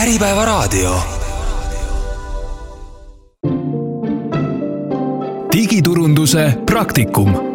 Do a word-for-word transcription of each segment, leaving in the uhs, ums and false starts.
Äripäevaraadio. Digiturunduse praktikum.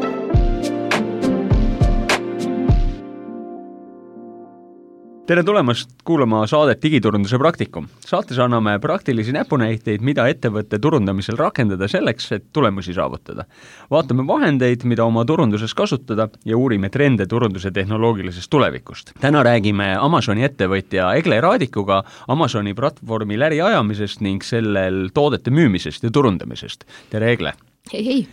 Tere tulemast kuulama saadet Digiturunduse praktikum. Saates anname praktilisi näpunäiteid, mida ettevõtte turundamisel rakendada selleks, et tulemusi saavutada. Vaatame vahendeid, mida oma turunduses kasutada ja uurime trende turunduse tehnoloogilisest tulevikust. Täna räägime Amazoni ettevõtja Egle Raadikuga Amazoni platvormi läri ajamisest ning sellel toodete müümisest ja turundamisest. Tere Egle! Hei, hei!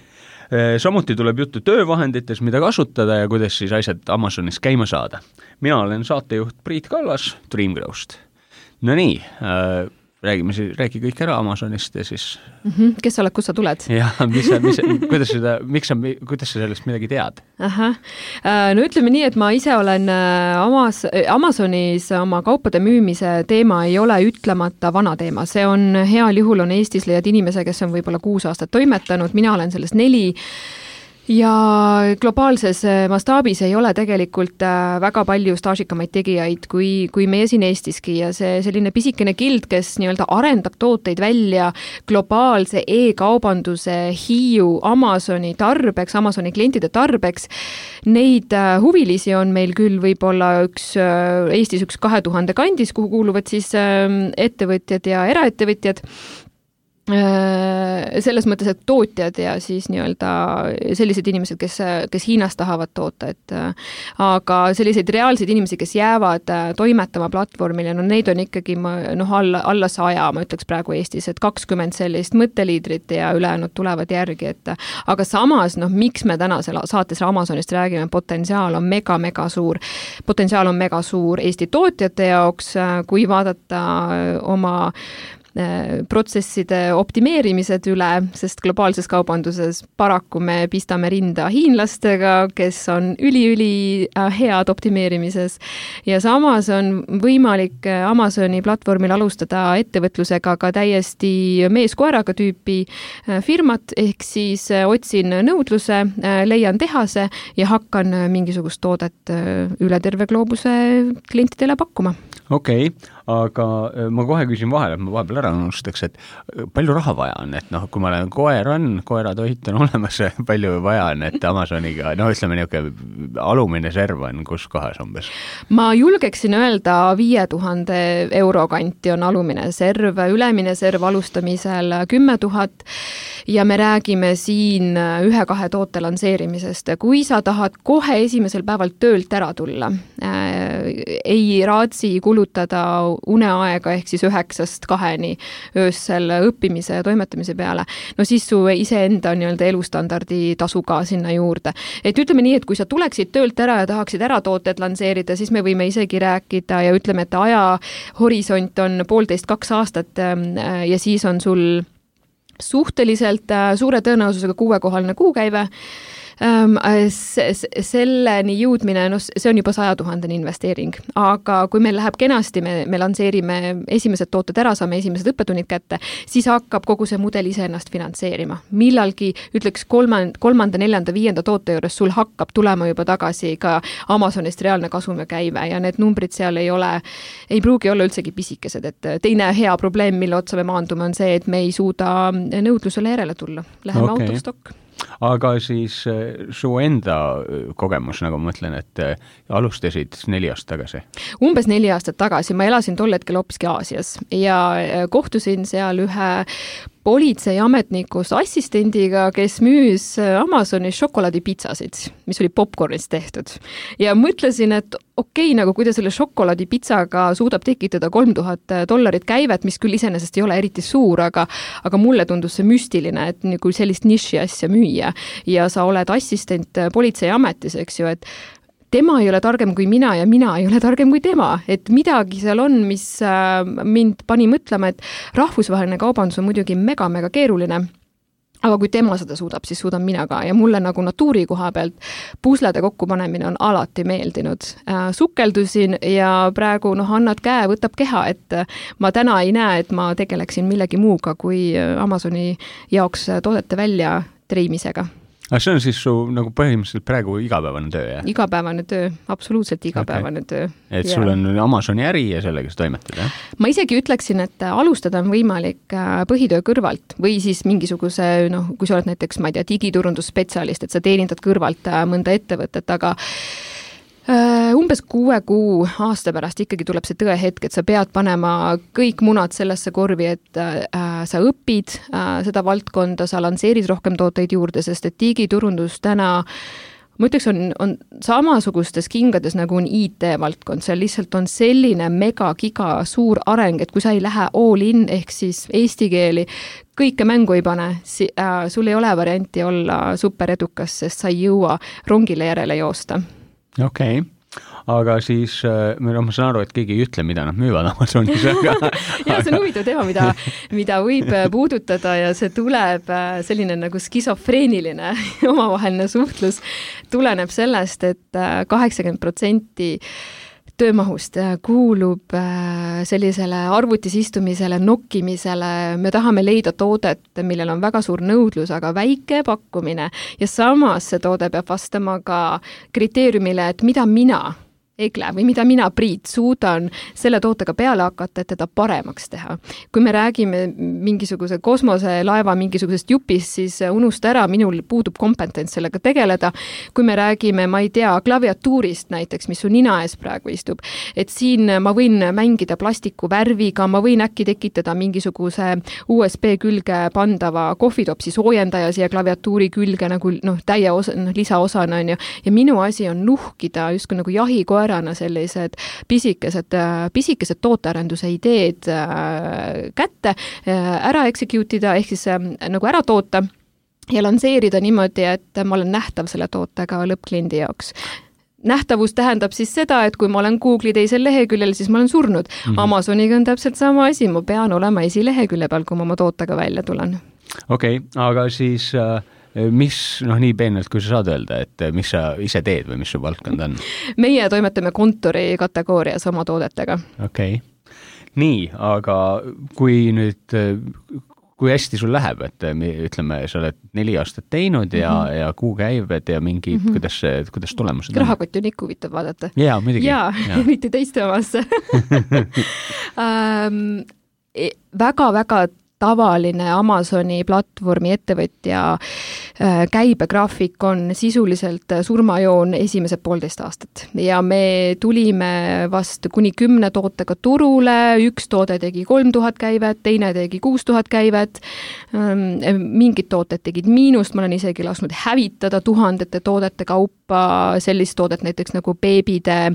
Samuti tuleb juttu töövahendites, mida kasutada ja kuidas siis asjad Amazonis käima saada. Mina olen saatejuht Priit Kallas Dreamgrowst. No nii, äh, räägime, räägi kõik ära Amazonist ja siis... Mm-hmm. Kes sa oled, kus sa tuled? Jah, mis, mis, kuidas, seda, miks sa, kuidas sa sellest midagi tead? Aha. No ütleme nii, et ma ise olen Amazonis oma kaupade müümise teema ei ole ütlemata vana teema. See on heal juhul on Eestis leiad inimese, kes on võib-olla kuus aastat toimetanud, mina olen sellest neli. Ja globaalses mastaabis ei ole tegelikult väga palju staažikamaid tegijaid kui, kui meie siin Eestiski ja see selline pisikene gild, kes nii-öelda arendab tooteid välja globaalse e-kaubanduse Hiiu Amazoni tarbeks, Amazoni klientide tarbeks. Neid huvilisi on meil küll võib-olla üks, Eestis üks kahe tuhande kandis, kuhu kuuluvad siis ettevõtjad ja eraettevõtjad. Selles mõttes, et tootjad ja siis nii-öelda sellised inimesed, kes, kes Hiinas tahavad toota, et aga selliseid reaalseid inimesi, kes jäävad toimetama platvormile, no neid on ikkagi noh, alla, alla saja, ma ütleks praegu Eestis, et kakskümmend sellist mõtteliidrit ja ülejäänud tulevad järgi, et aga samas, noh, miks me täna saates Amazonist räägime, potentsiaal on mega, mega suur. Potentsiaal on mega suur Eesti tootjate jaoks, kui vaadata oma protsesside optimeerimised üle, sest globaalses kaubanduses paraku me pistame rinda hiinlastega, kes on üli-üli head optimeerimises ja samas on võimalik Amazoni platvormil alustada ettevõtlusega ka täiesti meeskoeraga tüüpi firmat, ehk siis otsin nõudluse, leian tehase ja hakkan mingisugust toodet üle terve gloobuse klientidele pakkuma. Okei, okay, aga ma kohe küsin vahele, et ma vahepeal ära unustaks, et palju raha vaja on, et noh, kui ma olen koer on, koeratoit on olemas, palju vaja on, et Amazoniga, no ütleme niisugune alumine serv on kus kohas umbes? Ma julgeksin öelda viie tuhande euro kanti on alumine serv, ülemine serv alustamisel kümme tuhat ja me räägime siin ühe-kahe toote lanseerimisest. Kui sa tahad kohe esimesel päeval töölt ära tulla, äh, ei raatsi kulutada uneaega ehk siis üheksast kaheni öössel õppimise ja toimetamise peale, no siis su iseenda nii-öelda elustandardi tasu ka sinna juurde. Et ütleme nii, et kui sa tuleksid töölt ära ja tahaksid ära tooted lanseerida, siis me võime isegi rääkida ja ütleme, et aja horisont on poolteist kaks aastat ja siis on sul suhteliselt suure tõenäosusega kuuekohaline kuukäive. Selleni jõudmine, no see on juba saja tuhandene investeering, aga kui meil läheb kenasti, me, me lanseerime esimesed tooted ära, saame esimesed õppetunnid kätte, siis hakkab kogu see mudel ise ennast finantseerima. Millalgi, ütleks kolmanda, kolmanda, neljanda, viienda toote juures sul hakkab tulema juba tagasi ka Amazonist reaalne kasum ja käive ja need numbrid seal ei ole, ei pruugi olla üldsegi pisikesed, et teine hea probleem, mille otsa me maandume, on see, et me ei suuda nõudlusele järele tulla. Läheme okay. Autostokk. Aga siis su enda kogemus, nagu ma mõtlen, et alustasid neli aastat tagasi? Umbes neli aastat tagasi. Ma elasin tol hetkel hoopiski Aasias ja kohtusin seal ühe politseiametnikust assistendiga, kes müüs Amazonis šokolaadipitsasid, mis oli popcornist tehtud. Ja mõtlesin, et okei, okay, nagu kui ta selle šokolaadipitsaga suudab tekitada kolm tuhat dollarit käivet, mis küll iseenesest ei ole eriti suur, aga, aga mulle tundus see müstiline, et kui sellist niši asja müüa ja sa oled assistent politseiametis, eks ju, et tema ei ole targem kui mina ja mina ei ole targem kui tema, et midagi seal on, mis mind pani mõtlema, et rahvusvaheline kaubandus on muidugi mega-mega keeruline, aga kui tema seda suudab, siis suudan mina ka ja mulle nagu natuuri koha pealt puslede kokkupanemine on alati meeldinud. Sukeldusin ja praegu noh, annad käe, võtab keha, et ma täna ei näe, et ma tegeleksin millegi muuga kui Amazoni jaoks toodete välja treimisega. aga see on siis su nagu põhimõtteliselt praegu igapäevane töö, jah? Igapäevane töö, absoluutselt igapäevane okay. töö. Et sul on Amazoni äri ja sellega sa toimetad, jah? Ma isegi ütleksin, et alustada on võimalik põhitöö kõrvalt või siis mingisuguse, noh, kui sa oled näiteks, ma ei tea, digiturundusspetsialist, et sa teenindad kõrvalt mõnda ettevõtet, aga umbes kuue kuu aasta pärast ikkagi tuleb see tõehetk, et sa pead panema kõik munad sellesse korvi, et äh, sa õpid äh, seda valdkonda, sa lansseerid rohkem tooteid juurde, sest et digiturundus täna, ma ütleks, on, on samasugustes kingades nagu on I T-valdkond, seal lihtsalt on selline mega-giga suur areng, et kui sa ei lähe all in, ehk siis eesti keeli, kõike mängu ei pane, si- äh, sul ei ole varianti olla superedukas, sest sa ei jõua rongile järele joosta. Okei, okay. Aga siis no, ma saan aru, et keegi ei ütle, mida nad müüvad Amazonis. ja see on huvitav teema, mida, mida võib puudutada ja see tuleb selline nagu skisofreeniline omavaheline suhtlus, tuleneb sellest, et kaheksakümmend protsenti töömahust kuulub sellisele arvutis istumisele, nokkimisele, me tahame leida toodet, millel on väga suur nõudlus, aga väike pakkumine ja samas see toode peab vastama ka kriteeriumile, et mida mina Egle või mida mina, Priit, suudan selle tootega peale hakata, et teda paremaks teha. Kui me räägime mingisuguse kosmoselaeva mingisugusest jupist, siis unusta ära, minul puudub kompetents sellega tegeleda. Kui me räägime, ma ei tea, klaviatuurist näiteks, mis su nina ees praegu istub, et siin ma võin mängida plastiku värviga, ma võin äkki tekitada mingisuguse U S B külge pandava kohvitopsi soojendaja siia klaviatuuri külge nagu noh, täie osa, noh, lisaosana on ju. Ja minu asi on nuhkida justkui nagu jahikoer sellised pisikesed, pisikesed tootearenduse ideed kätte, ära execute'ida, ehk siis nagu ära toota ja lansseerida niimoodi, et ma olen nähtav selle tootega lõppkliendi jaoks. Nähtavus tähendab siis seda, et kui ma olen Google'i teisel leheküljel, siis ma olen surnud. Mm-hmm. Amazoniga on täpselt sama asi, ma pean olema esilehekülje peal, kui ma oma tootega välja tulen. Okei, okay, aga siis mis, noh nii peenelt, kui sa saad öelda, et mis sa ise teed või mis su valdkond on? Meie toimetame kontori kategoorias oma toodetega. Okei. Okay. Nii, aga kui nüüd, kui hästi sul läheb, et ütleme, sa oled neli aastat teinud ja, mm-hmm. ja kuu käibed ja mingi, mm-hmm. kuidas, kuidas tulemused on? Rahakott on ikka huvitav vaadata. Jaa, muidugi. Jaa, mitte teiste omasse. um, väga-väga tavaline Amazoni platvormi ettevõtja käibegraafik on sisuliselt surmajoon esimesed poolteist aastat ja me tulime vast kuni kümne tootega turule, üks toode tegi kolm tuhat käivet, teine tegi kuus tuhat käivet, mingid tooted tegid miinust, ma olen isegi lasknud hävitada tuhandete toodete kaupa sellist toodet näiteks nagu beebide,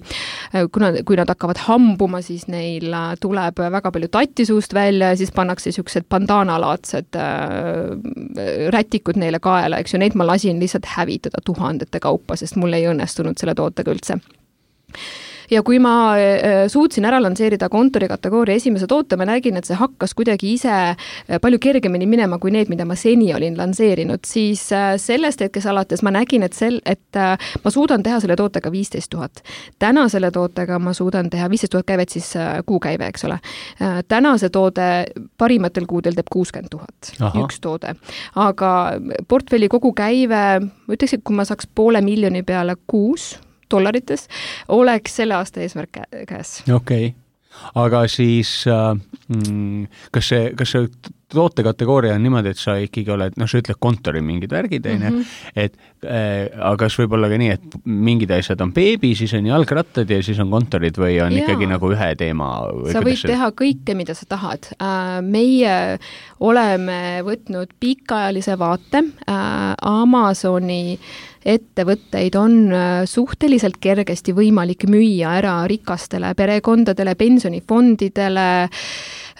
kuna, kui nad hakkavad hambuma, siis neil tuleb väga palju tattisuust välja ja siis pannakse niisugused bandaanalaadsed äh, rätikud neile kaela, eks ju, neid ma lasin lihtsalt hävitada tuhandete kaupa, sest mul ei õnnestunud selle tootega üldse. Ja kui ma suutsin ära lansseerida kontori kategooria esimese toote, ma nägin, et see hakkas kuidagi ise palju kergemini minema kui need, mida ma seni olin lansseerinud, siis sellest hetkes alates ma nägin, et, sel, et ma suudan teha selle tootega viisteist tuhat. Täna selle tootega ma suudan teha viisteist tuhat käivet, siis kuukäive, eks ole. Täna see toode parimatel kuudel teeb kuuskümmend tuhat, üks toode. Aga portfelli kogu käive, ma ütleks, et kui ma saaks poole miljoni peale kuus, dollarites, oleks selle aasta eesmärk käes. Okei, okay. Aga siis äh, kas see, kas see tootekategooria on niimoodi, et sa ikkagi oled, noh, sa ütled kontori mingid värgid, mm-hmm. et äh, aga kas võib olla ka nii, et mingid asjad on beebi, siis on jalgrattad ja siis on kontorid või on Jaa. Ikkagi nagu ühe teema? Sa võid see... teha kõike, mida sa tahad. Äh, meie oleme võtnud pikaajalise vaate äh, Amazoni ettevõtteid on suhteliselt kergesti võimalik müüa ära rikastele perekondadele, pensionifondidele,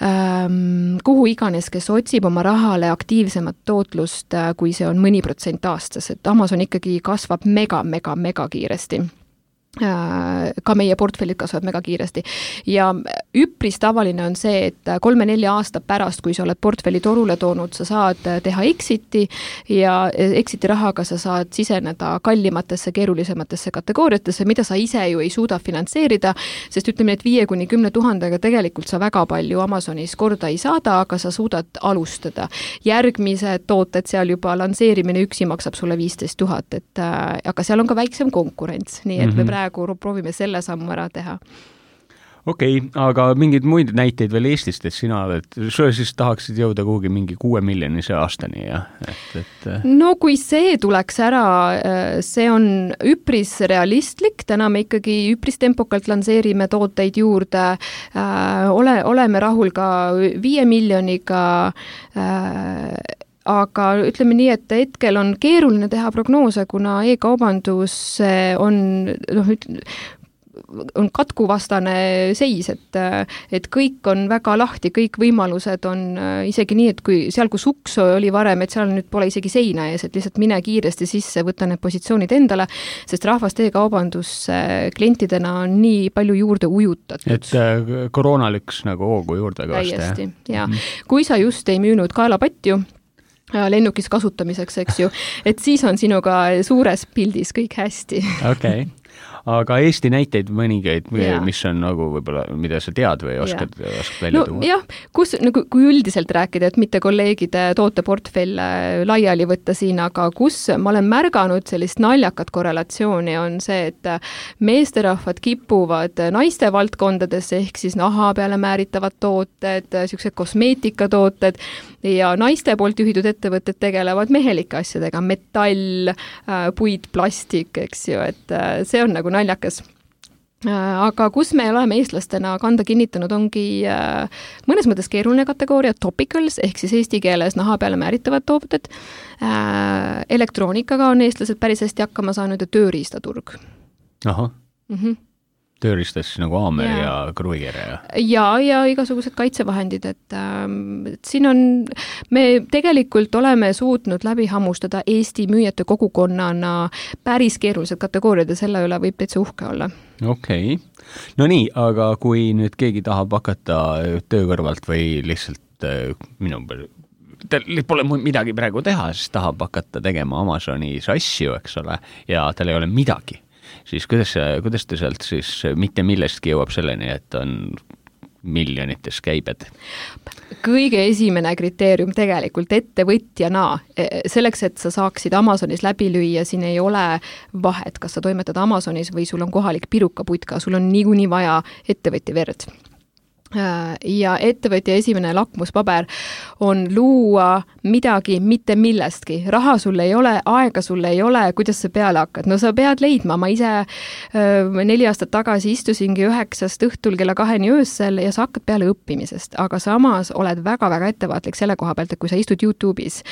ähm, kuhu iganes, kes otsib oma rahale aktiivsemat tootlust, kui see on mõni protsent aastas, et Amazon ikkagi kasvab mega, mega, mega kiiresti. ka meie portfellid kasvavad mega kiiresti. Ja üpris tavaline on see, et kolme-nelja aasta pärast, kui sa oled portfelli torule toonud, sa saad teha exiti ja exiti rahaga sa saad siseneda kallimatesse, keerulisematesse kategooriatesse, mida sa ise ju ei suuda finantseerida, sest ütleme, et viie kuni kümne tuhandega tegelikult sa väga palju Amazonis korda ei saada, aga sa suudad alustada. Järgmised tooted seal juba lansseerimine üksi maksab sulle viisteist tuhat, et aga seal on ka väiksem konkurents, nii et mm-hmm. me praegu proovime selle sammu ära teha. Okei, okay, aga mingid muid näiteid veel Eestist, et sina oled, sa siis tahaksid jõuda kuhugi mingi kuue miljonise aastani, jah? Et, et... No kui see tuleks ära, see on üpris realistlik, täna me ikkagi üpris tempokalt lansseerime tooteid juurde, ole, oleme rahul ka viie miljoniga, aga ütleme nii, et hetkel on keeruline teha prognoose, kuna e-kaubandus on, noh, on katkuvastane seis, et, et kõik on väga lahti, kõik võimalused on isegi nii, et kui seal, kus uks oli varem, et seal nüüd pole isegi seina ees, et lihtsalt mine kiiresti sisse, võta need positsioonid endale, sest rahvast e-kaubandus klientidena on nii palju juurde ujutatud. Et koroona lüks nagu hoogu juurde ka vast, jah? Täiesti, ja. Mm-hmm. Kui sa just ei müünud kaelapatju, lennukis kasutamiseks, eks ju, et siis on sinuga suures pildis kõik hästi. Okei. Okay. Aga Eesti näiteid mõningaid, mis on nagu võib-olla, mida sa tead või oskad, oskad välja tuua? No, jah, kus, nagu, kui üldiselt rääkida, et mitte kolleegide tooteportfell laiali võtta siin, aga kus ma olen märganud sellist naljakat korrelatsiooni on see, et meesterahvad kipuvad naiste valdkondadesse, ehk siis naha peale määritavad tooted, sellised kosmeetikatooted ja naiste poolt juhitud ettevõtted tegelevad mehelike asjadega, metall, puid, plastik, eks ju, et see on nagu naljakas. Aga kus me oleme eestlastena kanda kinnitanud, ongi mõnes mõttes keeruline kategooria, topicals, ehk siis eesti keeles naha peale määritavad tooted. Elektroonikaga on eestlased päris hästi hakkama saanud ja tööriistaturg. Aha. Mhm. Tööristas nagu aamer ja, ja kruiger ja... ja, ja igasugused kaitsevahendid, et, et siin on, me tegelikult oleme suutnud läbi hammustada Eesti müüjate kogukonnana päris keerulised kategooriad ja selle üle võib täitsa uhke olla. Okei. Okay. No nii, aga kui nüüd keegi tahab hakata töö kõrvalt või lihtsalt minu peal tal pole midagi praegu teha, siis tahab hakata tegema Amazonis asju, eks ole, ja tal ei ole midagi. Siis kuidas, kuidas ta sealt siis mitte millestki jõuab selleni, et on miljonites käibed? Kõige esimene kriteerium tegelikult ettevõtjana, selleks, et sa saaksid Amazonis läbi lüüa, siin ei ole vahet, kas sa toimetad Amazonis või sul on kohalik pirukaputka, sul on niikuinii vaja ettevõtja verd. Ja ettevõtja esimene lakmuspaber on luua midagi mitte millestki. Raha sul ei ole, aega sul ei ole, kuidas sa peale hakkad? No sa pead leidma. Ma ise öö, neli aastat tagasi istusingi üheksast õhtul kella kaheni öössel ja sa hakkad peale õppimisest, aga samas oled väga-väga ettevaatlik selle koha pealt, et kui sa istud YouTube'is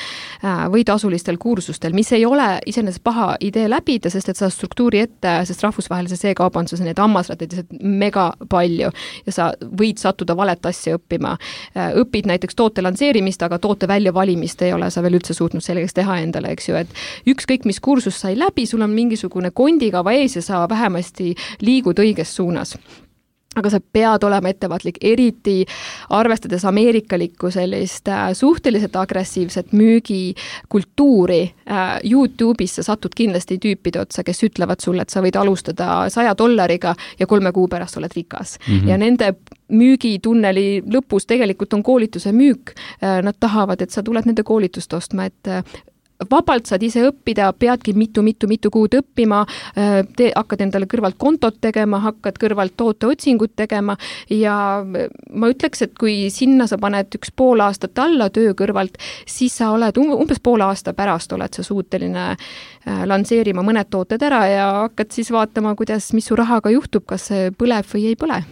või tasulistel kursustel, mis ei ole iseenesest paha idee läbida, sest et sa struktuuri ette, sest rahvusvahelises e-kaubanduses need hammasrattid mega palju ja sa võid sattuda valet asja õppima. Õpid näiteks toote lansseerimist, aga toote väljavalimist ei ole sa veel üldse suutnud sellegaks teha endale, eks ju, et ükskõik mis kursus sai läbi, sul on mingisugune kondikava ees ja sa vähemasti liigud õiges suunas. Aga sa pead olema ettevaatlik, eriti arvestades ameerikalikku sellist suhteliselt agressiivset müügikultuuri. YouTube'is sa satud kindlasti tüüpide otsa, kes ütlevad sulle, et sa võid alustada saja dollariga ja kolme kuu pärast oled rikas. Mm-hmm. Ja nende müügitunneli lõpus tegelikult on koolituse müük. Nad tahavad, et sa tuled nende koolitust ostma, et vabalt saad ise õppida, peadki mitu-mitu-mitu kuud õppima, te hakkad endale kõrvalt kontot tegema, hakkad kõrvalt tooteotsingut tegema ja ma ütleks, et kui sinna sa paned üks pool aastat alla töö kõrvalt, siis sa oled umbes pool aasta pärast oled sa suuteline lansseerima mõned tooted ära ja hakkad siis vaatama, kuidas, mis su rahaga juhtub, kas see põleb või ei põle.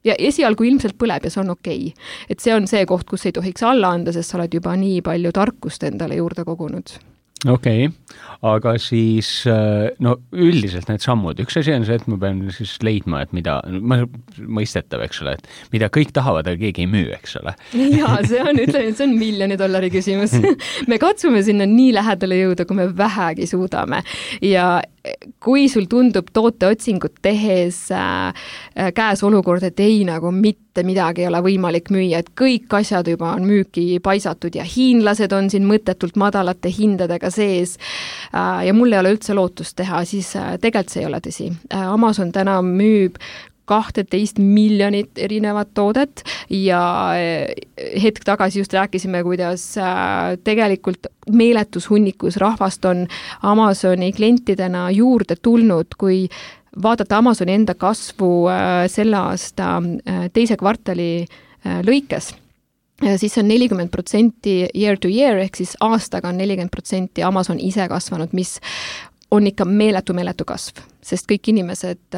Ja esialgu ilmselt põleb ja see on okei. Et see on see koht, kus ei tohiks alla anda, sest sa oled juba nii palju tarkust endale juurde kogunud. Okei, okay. Aga siis no üldiselt need sammud. Üks asi on see, et ma pean siis leidma, et mida, ma mõistetav, eks ole, et mida kõik tahavad, aga keegi ei müü, eks ole. Jaa, see on, ütleme, see on miljoni dollari küsimus. Me katsume sinna nii lähedale jõuda, kui me vähegi suudame. Ja kui sul tundub tooteotsingut tehes äh, käes olukord, et ei nagu mitte midagi ei ole võimalik müüa, et kõik asjad juba on müüki paisatud ja hiinlased on siin mõttetult madalate hindadega sees äh, ja mul ei ole üldse lootust teha, siis äh, tegelikult see ei ole tõsi. Äh, Amazon täna müüb kahteteist miljonit erinevat toodet ja hetk tagasi just rääkisime, kuidas tegelikult meeletus hunnikus rahvast on Amazoni klientidena juurde tulnud, kui vaadata Amazoni enda kasvu selle aasta teise kvartali lõikes, siis see on nelikümmend protsenti year to year, ehk siis aastaga on nelikümmend protsenti Amazon ise kasvanud, mis on ikka meeletu, meeletu kasv, sest kõik inimesed,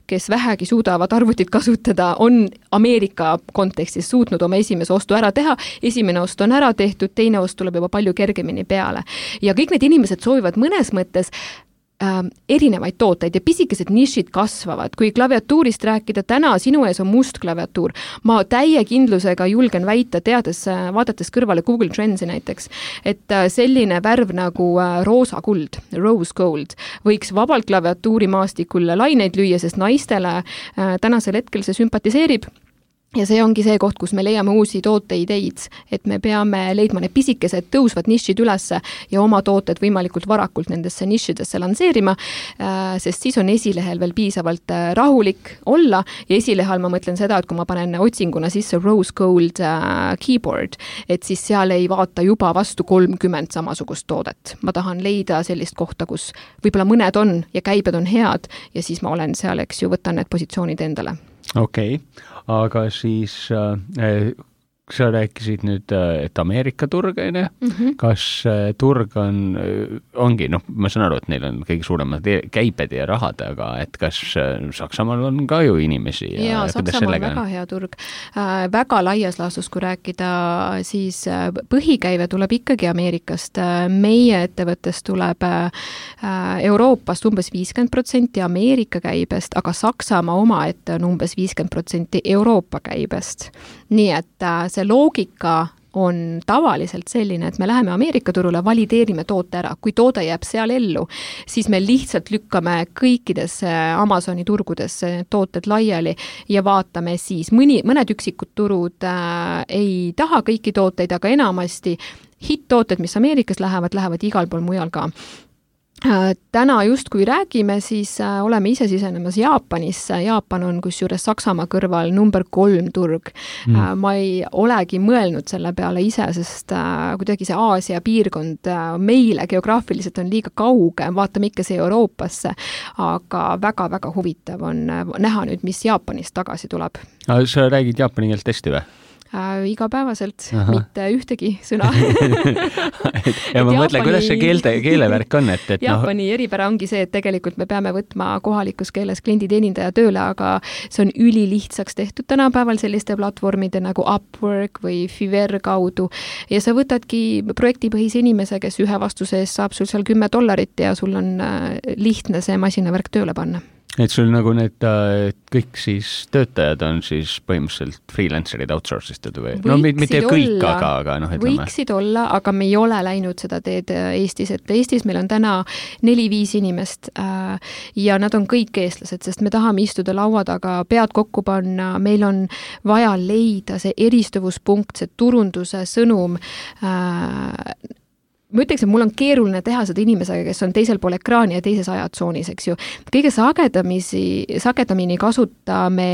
kes vähegi suudavad arvutit kasutada, on Ameerika kontekstis suutnud oma esimese ostu ära teha, esimene ost on ära tehtud, teine ost tuleb juba palju kergemini peale. Ja kõik need inimesed soovivad mõnes mõttes äh, erinevaid tooteid ja pisikesed nišid kasvavad. Kui klaviatuurist rääkida, täna sinu ees on must klaviatuur. Ma täie kindlusega julgen väita, teades, vaadates kõrvale Google Trendsi näiteks, et selline värv nagu roosa kuld, rose gold, võiks vabalt klaviatuuri maastikul laineid lüüa, sest naistele äh, tänasel hetkel see sümpatiseerib. Ja see ongi see koht, kus me leiame uusi tooteideid, et me peame leidma need pisikesed tõusvad nišid ülesse ja oma tooted võimalikult varakult nendesse nišidesse lanseerima, sest siis on esilehel veel piisavalt rahulik olla ja esilehel ma mõtlen seda, et kui ma panen otsinguna sisse rose gold keyboard, et siis seal ei vaata juba vastu kolmkümmend samasugust toodet. Ma tahan leida sellist kohta, kus võib-olla mõned on ja käibed on head ja siis ma olen seal, eks ju, võtan need positsioonid endale. Okei, okay. Aga siis äh, sa rääkisid nüüd, et Ameerika turg, on ju, mm-hmm. kas turg on, ongi, noh, ma saan aru, et neil on kõige suuremad käibed ja rahad, aga et kas Saksamaal on ka ju inimesi? Ja, ja Saksamaal on väga hea turg. Äh, väga laias laastus, kui rääkida, siis põhikäive tuleb ikkagi Ameerikast. Meie ettevõttest tuleb äh, Euroopast umbes viiskümmend protsenti Ameerika käibest, aga Saksamaa oma ette on umbes viiskümmend protsenti Euroopa käibest. Nii et äh, see loogika on tavaliselt selline, et me läheme Ameerika turule, valideerime toote ära. Kui toode jääb seal ellu, siis me lihtsalt lükkame kõikidesse Amazoni turgudesse tooted laiali ja vaatame siis. Mõni, mõned üksikud turud äh, ei taha kõiki tooteid, aga enamasti hitt-tooted, mis Ameerikas lähevad, lähevad igal pool mujal ka. Täna just kui räägime, siis oleme ise sisenemas Jaapanisse. Jaapan on kusjuures Saksamaa kõrval number kolm turg. Mm. Ma ei olegi mõelnud selle peale ise, sest kuidagi see Aasia piirkond meile geograafiliselt on liiga kauge, vaatame ikka see Euroopasse, aga väga-väga huvitav on näha nüüd, mis Jaapanist tagasi tuleb. Sa räägid jaapani keelt hästi või? Äh, igapäevaselt, Aha. mitte ühtegi sõna. ja ma mõtlen, kuidas see keelte, keelevärk on, et, et Jaapani no... eripära ongi see, et tegelikult me peame võtma kohalikus keeles klienditeenindaja tööle, aga see on ülilihtsaks tehtud tänapäeval selliste platvormide nagu Upwork või Fiverr kaudu ja sa võtadki projektipõhise inimese, kes ühe vastuse eest saab sul seal kümme dollarit ja sul on lihtne see masinavärk tööle panna. Et sul nagu need kõik siis töötajad on siis põhimõtteliselt freelancerid outsourced või? No mitte kõik, aga, aga noh, ütleme. Võiksid olla, aga me ei ole läinud seda teed Eestis, et Eestis meil on täna neli-viis inimest äh, ja nad on kõik eestlased, sest me tahame istuda laua taga, pead kokku panna, meil on vaja leida see eristuvuspunkt, see turunduse sõnum äh, ma ütleks, et mul on keeruline teha seda inimesega, kes on teisel pool ekraani ja teises ajatsoonis, eks ju. Kõige sagedamisi, sagedamini kasutame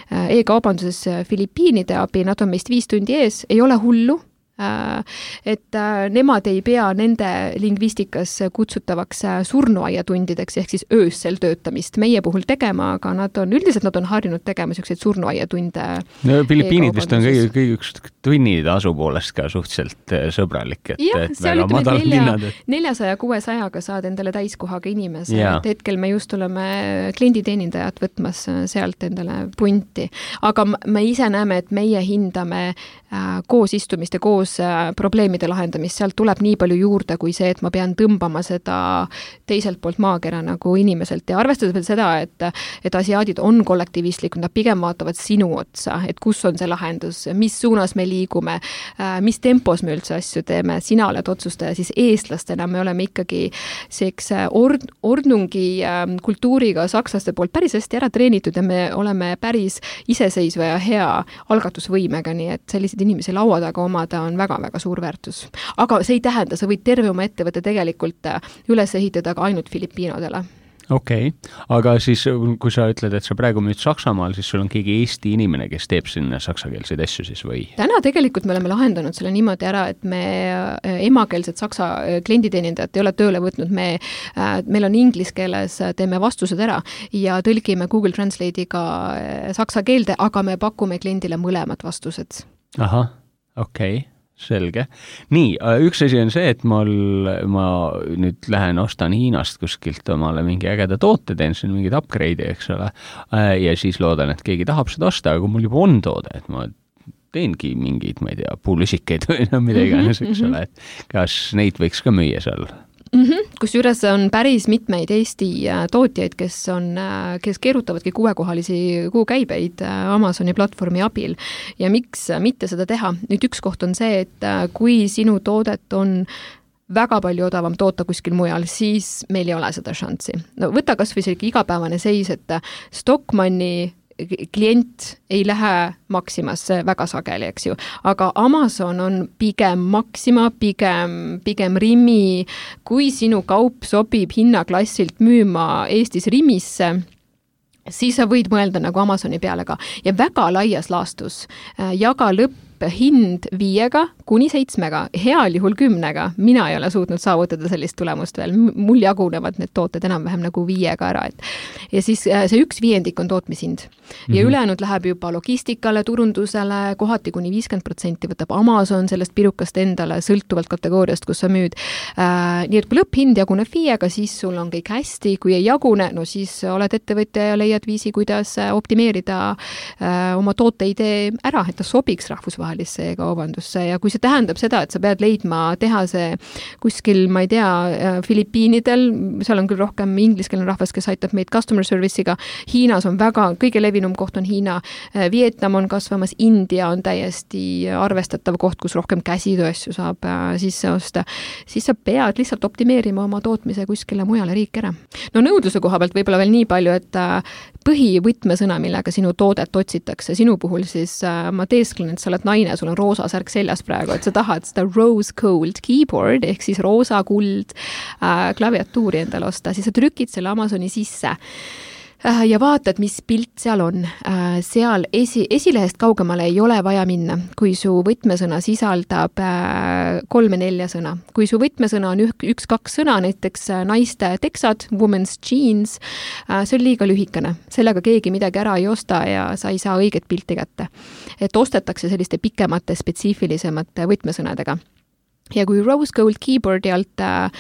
e-kaubanduses Filipiinide abi, nad on meist viis tundi ees, ei ole hullu, et nemad ei pea nende lingvistikas kutsutavaks surnuaiatundideks ehk siis öössel töötamist meie puhul tegema, aga nad on, üldiselt nad on harjunud tegema selliseid surnuaiatunde. No Filipiinid vist on kõige, kõige üks tunnid asupoolest ka suhteliselt sõbralik, et, ja, et väga madal linnad. neljasaja kuuesajaga saad endale täiskohaga inimese, et hetkel me just oleme klienditeenindajad võtmas sealt endale punti, aga me ise näeme, et meie hindame koos istumist ja koos probleemide lahendamist, sealt tuleb nii palju juurde kui see, et ma pean tõmbama seda teiselt poolt maakera nagu inimeselt ja arvestades veel seda, et, et asiaadid on kollektivistlikud, nad pigem vaatavad sinu otsa, et kus on see lahendus, mis suunas me liigume, mis tempos me üldse asju teeme, sina oled otsustaja, siis eestlastena me oleme ikkagi seks ord, ordnungi kultuuriga sakslaste poolt päris hästi ära treenitud ja me oleme päris iseseisva ja hea algatusvõimega, nii et selliseid inimesi laua taga omada on väga-väga suur väärtus. Aga see ei tähenda, sa võid terve oma ettevõtte tegelikult üles ehitada ka ainult filipiinodele. Okei, okay. Aga siis kui sa ütled, et sa praegu müüd Saksamaal, siis sul on keegi Eesti inimene, kes teeb sinna saksakeelseid asju siis või? Täna tegelikult me oleme lahendanud selle niimoodi ära, et me emakeelsed saksa klienditeenindajat ei ole tööle võtnud, me, meil on inglis keeles, teeme vastused ära ja tõlgime Google Translate'iga saksa keelde, aga me pakume kliendile mõlemad vastused. Aha, okei. Okay. Selge. Nii, üks asi on see, et mul, ma nüüd lähen ostan Hiinast kuskilt omale mingi ägeda toote, teen siin mingid upgrade'i, eks ole, ja siis loodan, et keegi tahab seda osta, aga mul juba on toode, et ma teengi mingeid, ma ei tea, puulusikeid või no mida iganes, eks ole, et kas neid võiks ka müüa seal? Mm-hmm. Kusjuures on päris mitmeid Eesti tootjaid, kes, on, kes keerutavadki kuuekohalisi kuukäibeid Amazoni platvormi abil ja miks mitte seda teha. Nüüd üks koht on see, et kui sinu toodet on väga palju odavam toota kuskil mujal, siis meil ei ole seda šanssi. No, võta kas või selline igapäevane seis, et Stockmanni klient ei lähe Maximasse väga sageli, eks ju. Aga Amazon on pigem Maxima, pigem, pigem Rimi. Kui sinu kaup sobib hinnaklassilt müüma Eestis Rimisse, siis sa võid mõelda nagu Amazoni peale ka. Ja väga laias laastus jaga lõpp hind viiega kuni seitsmega, heal juhul kümnega. Mina ei ole suutnud saavutada sellist tulemust veel. Mul jagunevad need tooted enam-vähem nagu viiega ära. Et. Ja siis see üks viiendik on tootmishind. Ja mm-hmm. ülejäänud läheb juba logistikale, turundusele, kohati kuni viiskümmend protsenti võtab Amazon sellest pirukast endale, sõltuvalt kategooriast, kus sa müüd. Äh, nii et kui lõpphind jaguneb viiega, siis sul on kõik hästi. Kui ei jagune, no siis oled ettevõtja ja leiad viisi, kuidas optimeerida äh, oma tooteidee ära, et ta sobiks rahvusvahel kaubandusse ja kui see tähendab seda, et sa pead leidma tehase kuskil, ma ei tea, Filipiinidel, seal on küll rohkem ingliskeelne rahvas, kes aitab meid customer service'iga, Hiinas on väga, kõige levinum koht on Hiina, Vietnam on kasvamas, India on täiesti arvestatav koht, kus rohkem käsitööasju saab sisse osta, siis sa pead lihtsalt optimeerima oma tootmise kuskile mujale riik ära. No nõudluse koha pealt võib-olla veel nii palju, et põhivõtmesõna, millega sinu toodet otsitakse, sinu puhul siis ma teesklen, et sa oled naine, sul on roosa särk seljas praegu, et sa tahad seda rose gold keyboard ehk siis roosa kuld äh, klaviatuuri endale osta, siis sa trükid selle Amazoni sisse äh, ja vaatad, mis pilt seal on. Äh, seal esi, esilehest kaugemale ei ole vaja minna, kui su võtmesõna sisaldab äh, kolme-nelja sõna. Kui su võtmesõna on üks-kaks sõna, näiteks naiste teksad, women's jeans, äh, see on liiga lühikene. Sellega keegi midagi ära ei osta ja sa ei saa õiget pilti kätte. Et ostetakse selliste pikemate, spetsiifilisemate võtmesõnadega. Ja kui Rose Gold Keyboardi alt äh,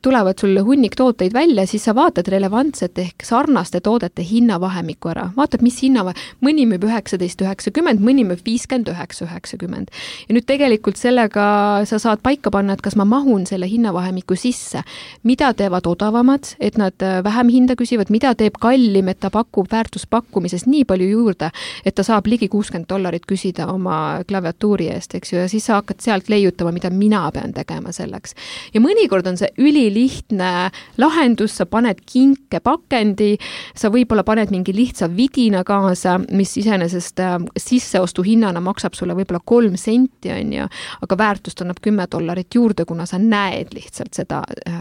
tulevad sulle hunnik tooteid välja, siis sa vaatad relevantset ehk sarnaste toodete hinnavahemikku ära. Vaatad, mis hinnava, mõni müüb üheksateist üheksakümmend, mõni müüb viiskümmend üheksa üheksakümmend. Ja nüüd tegelikult sellega sa saad paika panna, et kas ma mahun selle hinnavahemiku sisse. Mida teevad odavamad, et nad vähem hinda küsivad, mida teeb kallim, et ta pakub väärtuspakkumises nii palju juurde, et ta saab ligi kuuskümmend dollarit küsida oma klaviatuuri eest, eks ju, ja siis sa hakkad sealt leiutama, mida mina pean tegema selleks. Ja mõnikord on see ülilihtne lahendus, sa paned kinke pakendi, sa võib-olla paned mingi lihtsa vidina kaasa, mis iseenesest sisseostu hinnana maksab sulle võib-olla kolm senti, on ju, aga väärtust annab kümme dollarit juurde, kuna sa näed lihtsalt seda äh,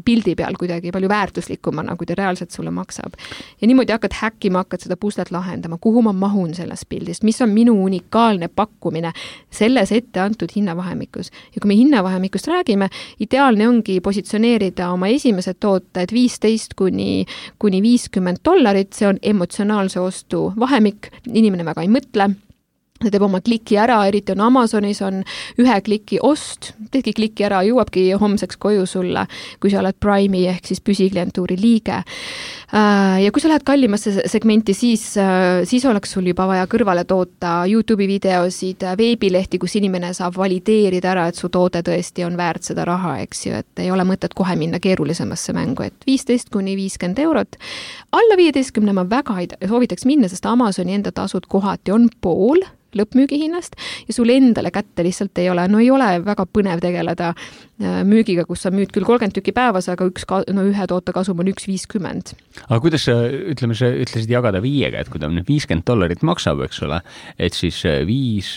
pildi peal kuidagi palju väärtuslikumana, kui ta reaalselt sulle maksab. Ja niimoodi hakkad häkkima, hakkad seda puslet lahendama, kuhu ma mahun sellest pildist, mis on minu unikaalne pakkumine selles ette antud hinnavahemik. Ja kui me hinnavahemikust räägime, ideaalne ongi positsioneerida oma esimesed tooted viisteist kuni, kuni viiskümmend dollarit, see on emotsionaalse ostu vahemik, inimene väga ei mõtle, ta teeb oma kliki ära, eriti on Amazonis on ühe kliki ost, teedki kliki ära, jõuabki homseks koju sulle, kui sa oled Prime'i ehk siis püsiklientuuri liige. Ja kui sa lähed kallimasse segmenti, siis, siis oleks sul juba vaja kõrvale toota YouTube'i videosid, veebilehti, kus inimene saab valideerida ära, et su toode tõesti on väärt seda raha, eks ju, et ei ole mõtet kohe minna keerulisemasse mängu, et viisteist kuni viiskümmend eurot. Alla viieteistkümne ma väga ei soovitaks minna, sest Amazoni enda tasud kohati on pool lõppmüügihinnast ja sul endale kätte lihtsalt ei ole. No ei ole väga põnev tegeleda müügiga, kus sa müüd küll kolmkümmend tükki päevas, aga üks, no ühe toote kasum on üks viiskümmend. Aga kuidas sa, ütleme, sa ütlesid jagada viiega, et kui ta nüüd viiskümmend dollarit maksab, eks ole, et siis viis,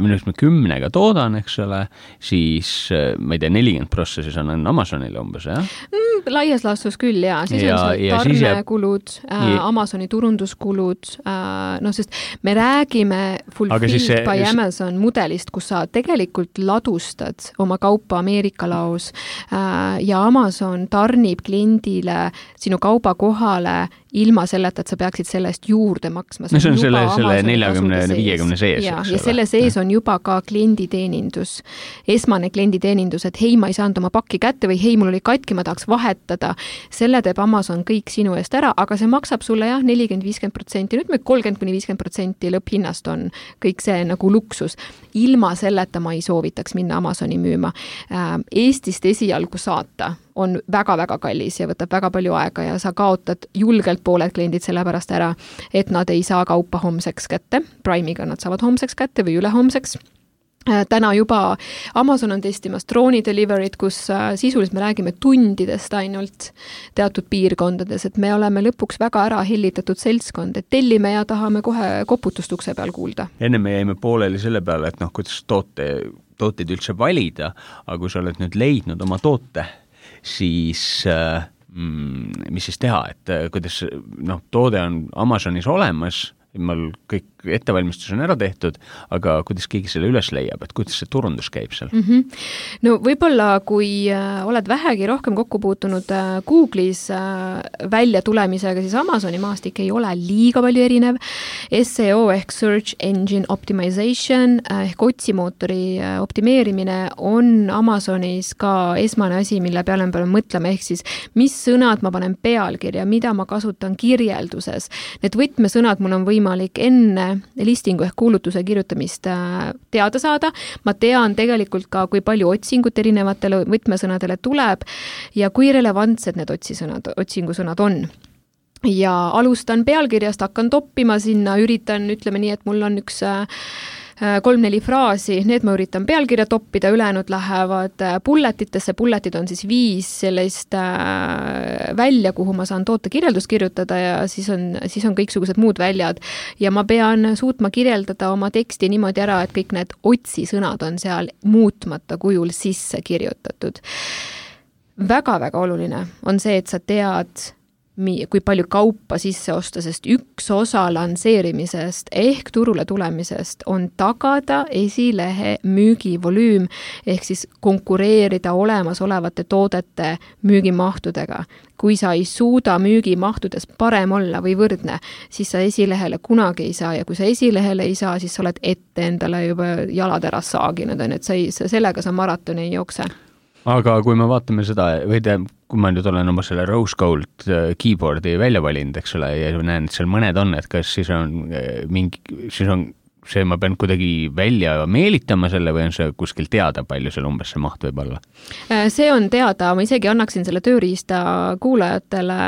minust me kümnega toodan, eks ole, siis ma ei tea, nelikümmend prossa siis annan Amazonile umbes, jah? Mm, laias laastus küll, jaa. Siis ja, on see tarnekulud, äh, Amazoni turunduskulud, äh, no sest me räägime Fulfilled see, by just... Amazon mudelist, kus sa tegelikult ladustad oma kaupa Ameerika laos ja Amazon tarnib kliendile sinu kauba kohale ilma selleta, et sa peaksid sellest juurde maksma. No see on selle, selle nelikümmend viiekümne sees. Ja, ja selle sees on juba ka klienditeenindus. Esmane klienditeenindus, et hei, ma ei saanud oma pakki kätte või hei, mul oli katki, ma tahaks vahetada. Selle teeb Amazon kõik sinu eest ära, aga see maksab sulle jah, nelikümmend viiskümmend protsenti. Nüüd me kolmkümmend kuni viiskümmend protsenti lõpphinnast on kõik see nagu luksus. Ilma selleta ma ei soovitaks minna Amazoni müüma. Eestist esialgu saata on väga-väga kallis ja võtab väga palju aega ja sa kaotad julgelt pooled kliendid selle pärast ära, et nad ei saa kaupa homseks kätte. Prime'iga nad saavad homseks kätte või ülehomseks. Täna juba Amazon on testimas drooni delivery't, kus sisuliselt me räägime tundidest ainult teatud piirkondades, et me oleme lõpuks väga ära hellitatud seltskond, et tellime ja tahame kohe koputust ukse peal kuulda. Enne me jäime pooleli selle peale, et noh, kuidas toote, tooteid üldse valida, aga kui sa oled nüüd leidnud oma toote, siis mm, mis siis teha, et kuidas noh, toode on Amazonis olemas, meil kõik ettevalmistus on ära tehtud, aga kuidas keegi selle üles leiab, et kuidas see turundus käib seal? Mm-hmm. No võib-olla, kui äh, oled vähegi rohkem kokku puutunud äh, Google'is äh, välja tulemisega, siis Amazoni maastik ei ole liiga palju erinev. S E O ehk Search Engine Optimization äh, ehk otsimootori äh, optimeerimine on Amazonis ka esmane asi, mille peale me peame mõtlema, ehk siis mis sõnad ma panen pealkirja, mida ma kasutan kirjelduses. Need võtmesõnad mul on võimalik enne listingu ehk kuulutuse kirjutamist teada saada. Ma tean tegelikult ka, kui palju otsingut erinevatele võtmesõnadele tuleb ja kui relevantsed need otsisõnad, otsingusõnad on. Ja alustan pealkirjast, hakkan toppima sinna, üritan, ütleme nii, et mul on üks kolm-neli fraasi, need ma üritan pealkirja toppida, ülejäänud lähevad bulletitesse, bulletid on siis viis sellist välja, kuhu ma saan toote kirjeldust kirjutada ja siis on, siis on kõiksugused muud väljad ja ma pean suutma kirjeldada oma teksti niimoodi ära, et kõik need otsisõnad on seal muutmata kujul sisse kirjutatud. Väga-väga oluline on see, et sa tead, kui palju kaupa sisse osta, sest üks osa lansseerimisest ehk turule tulemisest on tagada esilehe müügivolüüm ehk siis konkureerida olemasolevate toodete müügimahtudega. Kui sa ei suuda müügimahtudes parem olla või võrdne, siis sa esilehele kunagi ei saa ja kui sa esilehele ei saa, siis sa oled ette endale juba jalad ära saaginud, et sa ei, sellega sa maratoni ei jookse. Aga kui me vaatame seda, või te, kui ma nüüd olen oma selle Rose Gold keyboardi välja valinud, eks ole, ja näen, et seal mõned on, et kas siis on mingi, siis on see, ma pean kuidagi välja meelitama selle või on see kuskil teada, palju seal umbes see maht võib olla? See on teada, ma isegi annaksin selle tööriista kuulajatele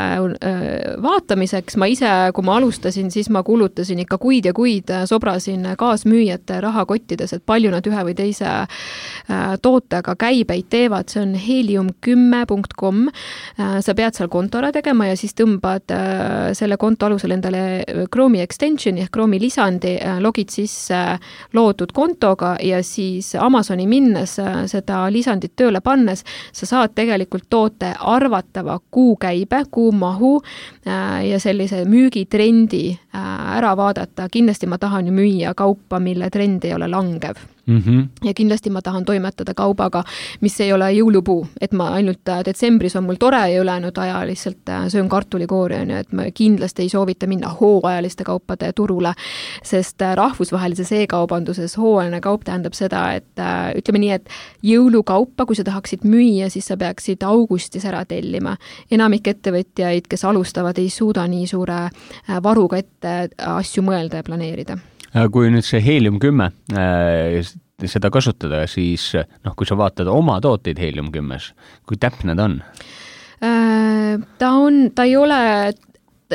vaatamiseks. Ma ise, kui ma alustasin, siis ma kulutasin ikka kuid ja kuid, sobrasin kaasmüüjate rahakottides, et palju nad ühe või teise tootega käibeid teevad. See on helium kümme punkt com. Sa pead seal konto ära tegema ja siis tõmbad selle konto alusel endale Chrome'i extensioni ehk Chrome'i lisandi, logid siis loodud kontoga ja siis Amazoni minnes seda lisandit tööle pannes, sa saad tegelikult toote arvatava kuukäibe, kuumahu ja sellise müügitrendi ära vaadata. Kindlasti ma tahan ju müüa kaupa, mille trend ei ole langev. Mm-hmm. Ja kindlasti ma tahan toimetada kaubaga, mis ei ole jõulupuu, et ma ainult detsembris on mul tore ja ülejäänud aja lihtsalt söön kartulikoori, et ma kindlasti ei soovita minna hooajaliste kaupade turule, sest rahvusvahelises e-kaubanduses hooajaline kaup tähendab seda, et ütleme nii, et jõulukaupa, kui sa tahaksid müüa, siis sa peaksid augustis ära tellima. Enamik ettevõtjaid, kes alustavad, ei suuda nii suure varuga ette asju mõelda ja planeerida. Kui nüüd see helium kümme äh, seda kasutada, siis noh, kui sa vaatad oma tooteid helium kümmes, kui täpne ta on? Äh, ta on, ta ei ole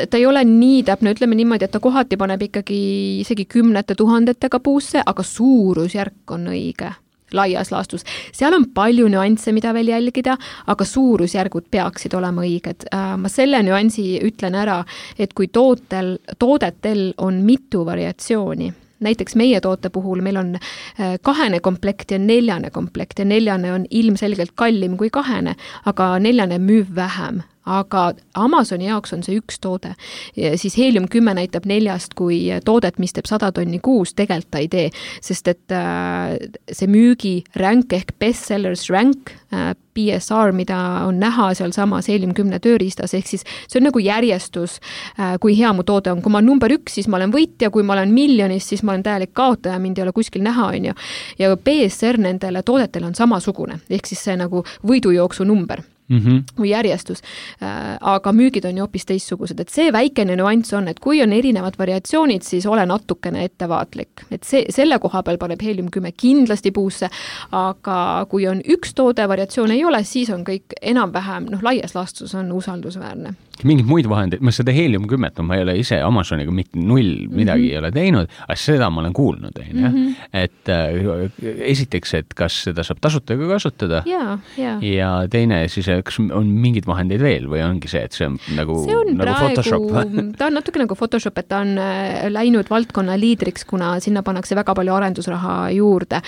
ta ei ole nii täpne, ütleme niimoodi, et ta kohati paneb ikkagi isegi kümnete tuhandetega puusse, aga suurusjärk on õige laias laastus. Seal on palju nüansse, mida veel jälgida, aga suurusjärgud peaksid olema õiged. Ma selle nüansi ütlen ära, et kui tootel, toodetel on mitu variatsiooni, näiteks meie toote puhul meil on kahene komplekt ja neljane komplekt ja neljane on ilmselgelt kallim kui kahene, aga neljane müüb vähem. Aga Amazoni jaoks on see üks toode. Ja siis Helium kümme näitab neljast kui toodet, mis teeb sada tonni kuus, tegelikult ta ei tee, sest et see müügi rank ehk bestsellers rank, B S R, mida on näha seal samas Helium kümme tööriistas, ehk siis see on nagu järjestus, kui hea mu toode on. Kui ma olen number üks, siis ma olen võitja, kui ma olen miljonis, siis ma olen täielik kaotaja, mind ei ole kuskil näha, on ju. Ja B S R nendele toodetele on samasugune, ehk siis see nagu võidujooksu number. Mm-hmm. või järjestus, aga müügid on ju hoopis teistsugused, et see väikene nüanss on, et kui on erinevad variatsioonid, siis ole natukene ettevaatlik, et see, selle koha peal paneb Helium kümme kindlasti puusse, aga kui on üks toode, variatsioon ei ole, siis on kõik enam-vähem, noh, laias laastus on usaldusväärne. Mingid muid vahendeid, ma seda Helium kümme, ma ei ole ise Amazoniga mitte null midagi mm-hmm. ei ole teinud, aga seda ma olen kuulnud, mm-hmm. et äh, esiteks, et kas seda saab tasuta kasutada ja, ja. ja teine siis, kas on mingid vahendeid veel või ongi see, et see on nagu, see on nagu praegu, Photoshop? ta on natuke nagu Photoshop, et ta on läinud valdkonna liidriks, kuna sinna pannakse väga palju arendusraha juurde.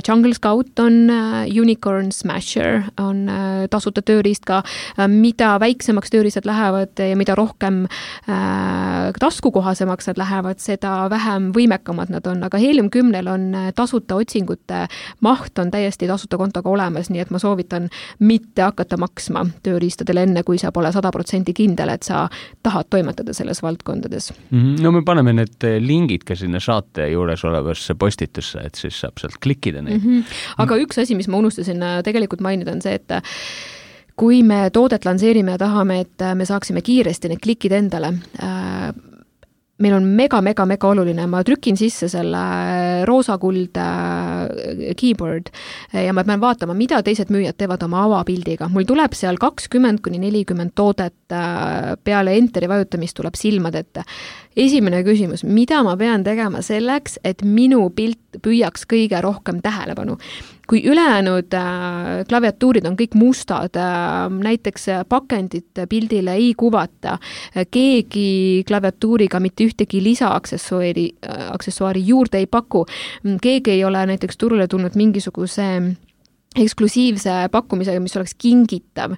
Jungle Scout on Unicorn Smasher, on tasuta tööriist ka, mida väiksemaks tööriistad lähevad ja mida rohkem äh, taskukohasemaks nad lähevad, seda vähem võimekamad nad on, aga Helium kümnel on tasuta otsingute maht on täiesti tasuta kontoga olemas, nii et ma soovitan mitte hakata maksma tööriistadele enne, kui sa pole sada protsenti kindel, et sa tahad toimetada selles valdkondades. No me paneme need lingid ka sinna saate juures olevasse postitusse, et siis saab sealt klikkida neid. Mm-hmm. Aga üks asi, mis ma unustasin tegelikult mainida, on see, et kui me toodet lanseerime ja tahame, et me saaksime kiiresti need klikid endale, meil on mega, mega, mega oluline, ma trükin sisse selle roosakuld keyboard ja ma pean vaatama, mida teised müüjad teevad oma avapildiga. Mul tuleb seal kakskümmend kuni nelikümmend toodet, peale enteri vajutamist tuleb silmad ette. Esimene küsimus, mida ma pean tegema selleks, et minu pilt püüaks kõige rohkem tähelepanu? Kui ülejäänud äh, klaviatuurid on kõik mustad, äh, näiteks pakendit pildile ei kuvata, äh, keegi klaviatuuriga mitte ühtegi lisaaksessuaari äh, aksessuaari juurde ei paku, keegi ei ole näiteks turule tulnud mingisuguse eksklusiivse pakkumisega, mis oleks kingitav,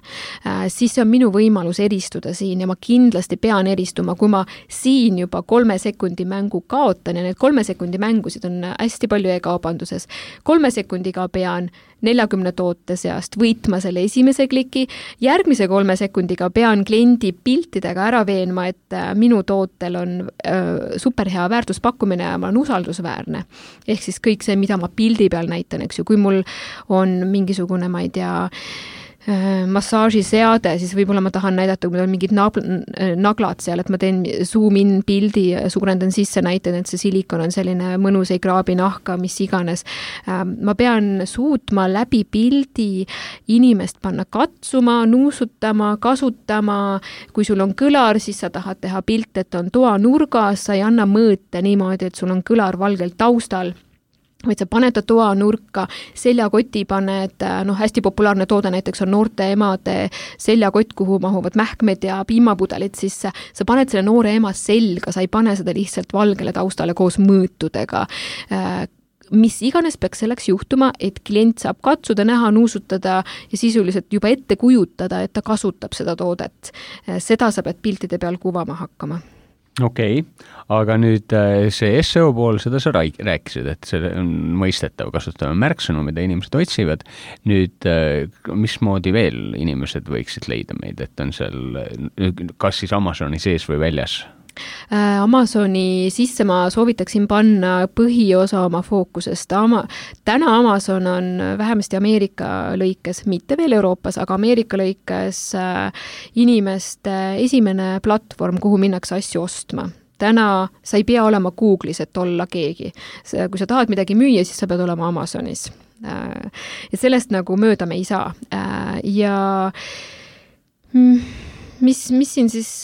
siis see on minu võimalus eristuda siin ja ma kindlasti pean eristuma, kui ma siin juba kolme sekundi mängu kaotan ja need kolme sekundi mängusid on hästi palju e-kaubanduses. Kolme sekundiga pean neljakümne toote seast võitma selle esimese kliki, järgmise kolme sekundiga pean kliendi piltidega ära veenma, et minu tootel on superhea väärtuspakkumine ja ma olen usaldusväärne. Ehk siis kõik see, mida ma pildi peal näitan, eks ju, kui mul on mingisugune, ma ei tea, massaažiseade, siis võib-olla ma tahan näidata, kui meil on mingid naglad seal, et ma teen zoom in pildi, suurendan sisse, näitan, et see silikon on selline mõnus, ei kraabi nahka, mis iganes. Ma pean suutma läbi pildi inimest panna katsuma, nuusutama, kasutama. Kui sul on kõlar, siis sa tahad teha pilt, et on toa nurgas, sa ei anna mõõte niimoodi, et sul on kõlar valgelt taustal. Vaid sa paned ta toa nurka, seljakoti paned, noh, hästi populaarne toode näiteks on noorte emade seljakott, kuhu mahuvad mähkmed ja piimapudelid sisse. Sa paned selle noore ema selga, sa ei pane seda lihtsalt valgele taustale koos mõõtudega. Mis iganes peaks selleks juhtuma, et klient saab katsuda, näha, nuusutada ja sisuliselt juba ette kujutada, et ta kasutab seda toodet. Seda sa pead piltide peal kuvama hakkama. Okei, okay. Aga nüüd see S E O pool, seda sa rääkisid, et see on mõistetav, kasutame märksõnu, mida inimesed otsivad. Nüüd, mismoodi veel inimesed võiksid leida meid, et on seal, kas siis Amazoni sees või väljas? Amazoni sisse ma soovitaksin panna põhiosa oma fookusest. Ama, täna Amazon on vähemasti Ameerika lõikes, mitte veel Euroopas, aga Ameerika lõikes inimeste esimene platvorm, kuhu minnakse asju ostma. Täna sa ei pea olema Google'is, et olla keegi. Kui sa tahad midagi müüa, siis sa pead olema Amazonis. Ja sellest nagu mööda me ei saa. Ja mis, mis siin siis...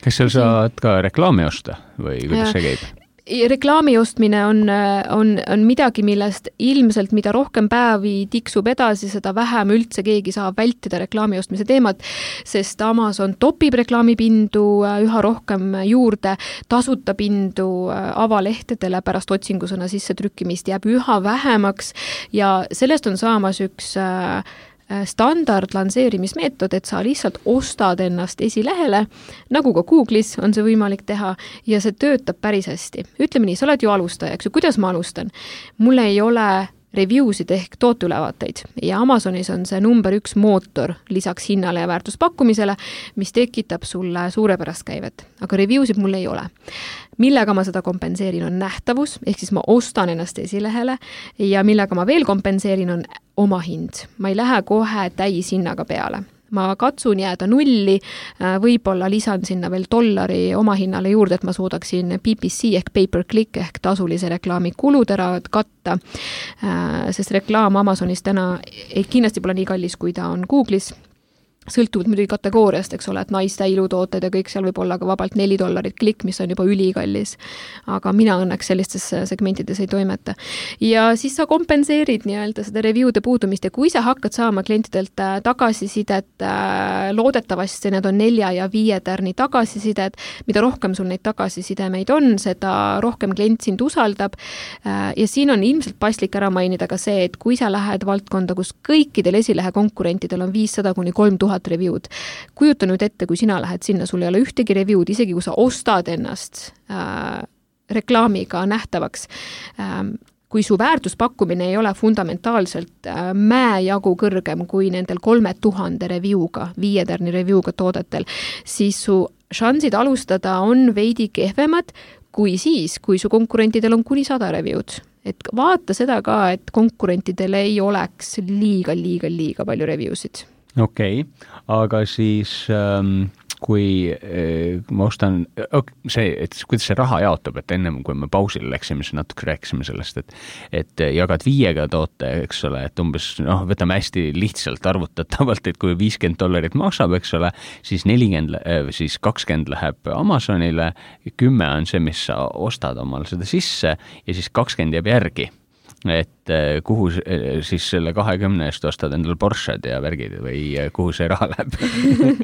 kas seal saad ka reklaami osta või kuidas see käib? Reklaami ostmine on, on, on midagi, millest ilmselt mida rohkem päevi tiksub edasi, seda vähem üldse keegi saab vältida reklaami ostmise teemat, sest Amazon topib reklaamipindu üha rohkem juurde, tasuta pindu avalehtedele pärast otsingusõna sisse trükkimist jääb üha vähemaks ja sellest on saamas üks standard lansseerimismeetod, et sa lihtsalt ostad ennast esilehele, nagu ka Google'is on see võimalik teha ja see töötab päris hästi. Ütleme nii, sa oled ju alustaja, eks ju, kuidas ma alustan? Mul ei ole reviewsid ehk tooteülevaateid ja Amazonis on see number üks mootor lisaks hinnale ja väärtuspakkumisele, mis tekitab sulle suurepärast käivet. Aga reviewsid mul ei ole. Millega ma seda kompenseerin on nähtavus, ehk siis ma ostan ennast esilehele ja millega ma veel kompenseerin on oma hind. Ma ei lähe kohe täis hinnaga peale. Ma katsun jääda nulli, võib-olla lisan sinna veel dollari oma hinnale juurde, et ma suudaksin P P C ehk pay-per-click ehk tasulise reklaami kulud ära katta, sest reklaam Amazonis täna kindlasti pole nii kallis, kui ta on Google'is. Sõltuvalt muidugi kategooriast, eks ole, et naiste ilutooted ja kõik seal võib olla ka vabalt neli dollarit klikk, mis on juba ülikallis. Aga mina õnneks sellistes segmentides ei toimeta. Ja siis sa kompenseerid nii-öelda seda review'de puudumist ja kui sa hakkad saama klientidelt tagasisidet, loodetavasti need on nelja ja viie tärni tagasisidet, mida rohkem sul neid tagasisidemeid on, seda rohkem klient sind usaldab. Ja siin on ilmselt paslik ära mainida ka see, et kui sa lähed valdkonda, kus kõikidel esilehe konkurentidel on viissada kuni kolm tuhat review'd. Kujuta nüüd ette, kui sina lähed sinna, sul ei ole ühtegi review'd, isegi kui sa ostad ennast äh, reklaamiga nähtavaks. Äh, kui su väärtuspakkumine ei ole fundamentaalselt äh, mäejagu kõrgem kui nendel kolme tuhande review'ga, viietärni review'ga toodetel, siis su šansid alustada on veidi kehvemad kui siis, kui su konkurentidel on kuni sada review'd. Et vaata seda ka, et konkurentidel ei oleks liiga, liiga, liiga palju review'sid. Okei, okay. Aga siis ähm, kui äh, ma ostan, see, et kuidas see raha jaotub, et ennem kui me pausile läksime, siis natuke rääkisime sellest, et, et jagad viiega toote, eks ole, et umbes, noh, võtame hästi lihtsalt arvutatavalt, et kui viiskümmend dollarit maksab, eks ole, siis nelikümmend, siis kakskümmend läheb Amazonile, kümme on see, mis sa ostad omal seda sisse ja siis kakskümmend jääb järgi. Et kuhu siis selle kahekümne eest ostad endal Porsched ja värgid või kuhu see raha läheb?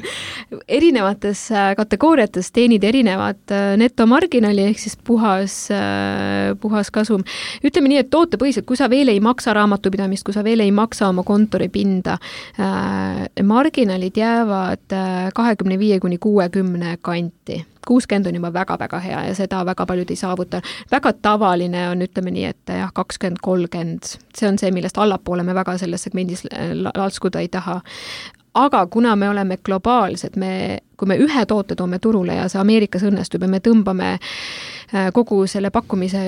Erinevates kategooriates teenid erinevad netomarginali ehk siis puhas, puhas kasum. Ütleme nii, et tootepõhiselt, kui sa veel ei maksa raamatupidamist, kui sa veel ei maksa oma kontoripinda, marginalid jäävad kahekümne viie kuni kuuekümne kanti. kuuskümmend on juba väga-väga hea ja seda väga paljud ei saavuta. Väga tavaline on, ütleme nii, et jah, kakskümmend kolmkümmend. See on see, millest allapoole me väga selles segmendis laskuda ei taha. Aga kuna me oleme globaalsed, me, kui me ühe toote toome turule ja see Ameerikas õnnestub ja me tõmbame kogu selle pakkumise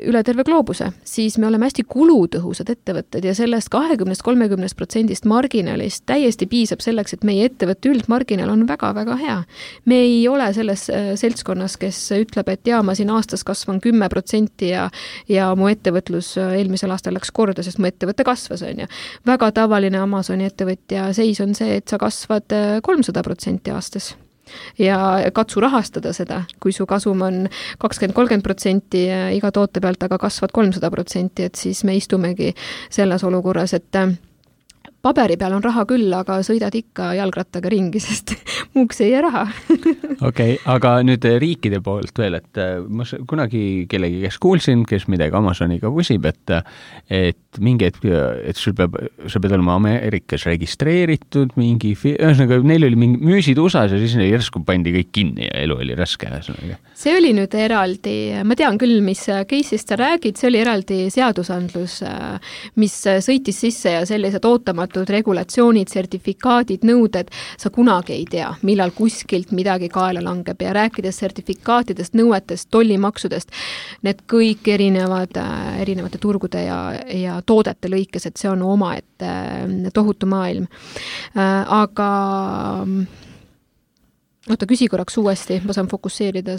üle terve gloobuse, siis me oleme hästi kulutõhusad ettevõtted ja sellest kahekümnest kolmekümnest protsendist marginalist täiesti piisab selleks, et meie ettevõtte üldmarginal on väga-väga hea. Me ei ole selles seltskonnas, kes ütleb, et jaa, ma siin aastas kasvan kümme protsenti ja, ja mu ettevõtlus eelmisel aastal läks korda, sest mu ettevõtte kasvas, on ju. Väga tavaline Amazoni ettevõtja seis on see, et sa kasvad kolmsada protsenti aastas. Ja katsu rahastada seda, kui su kasum on kakskümmend kolmkümmend protsenti iga toote pealt, aga kasvad kolmsada protsenti, et siis me istumegi selles olukorras, et paberi peal on raha küll, aga sõidad ikka jalgrattaga ringi, sest muuks ei jää raha. Okei, okay, aga nüüd riikide poolt veel, et ma kunagi kellegi, kes kuulsin, kes midagi Amazoniga küsib, et, et mingi hetk, et sul peab, sa pead olema Ameerikas registreeritud mingi, ühesõnaga neil oli mingi müüsid U S A-s ja siis järsku pandi kõik kinni ja elu oli raske. See oli nüüd eraldi, ma tean küll, mis case'ist sa räägid, see oli eraldi seadusandlus, mis sõitis sisse ja sellised ootamatud regulatsioonid, sertifikaadid, nõuded, sa kunagi ei tea, millal kuskilt midagi kaela langeb ja rääkides sertifikaatidest, nõuetest, tollimaksudest, need kõik erinevad, erinevate turgude ja, ja toodete lõikes, et see on oma, et tohutu maailm. Aga oota, küsi korraks uuesti, ma saan fokusseerida.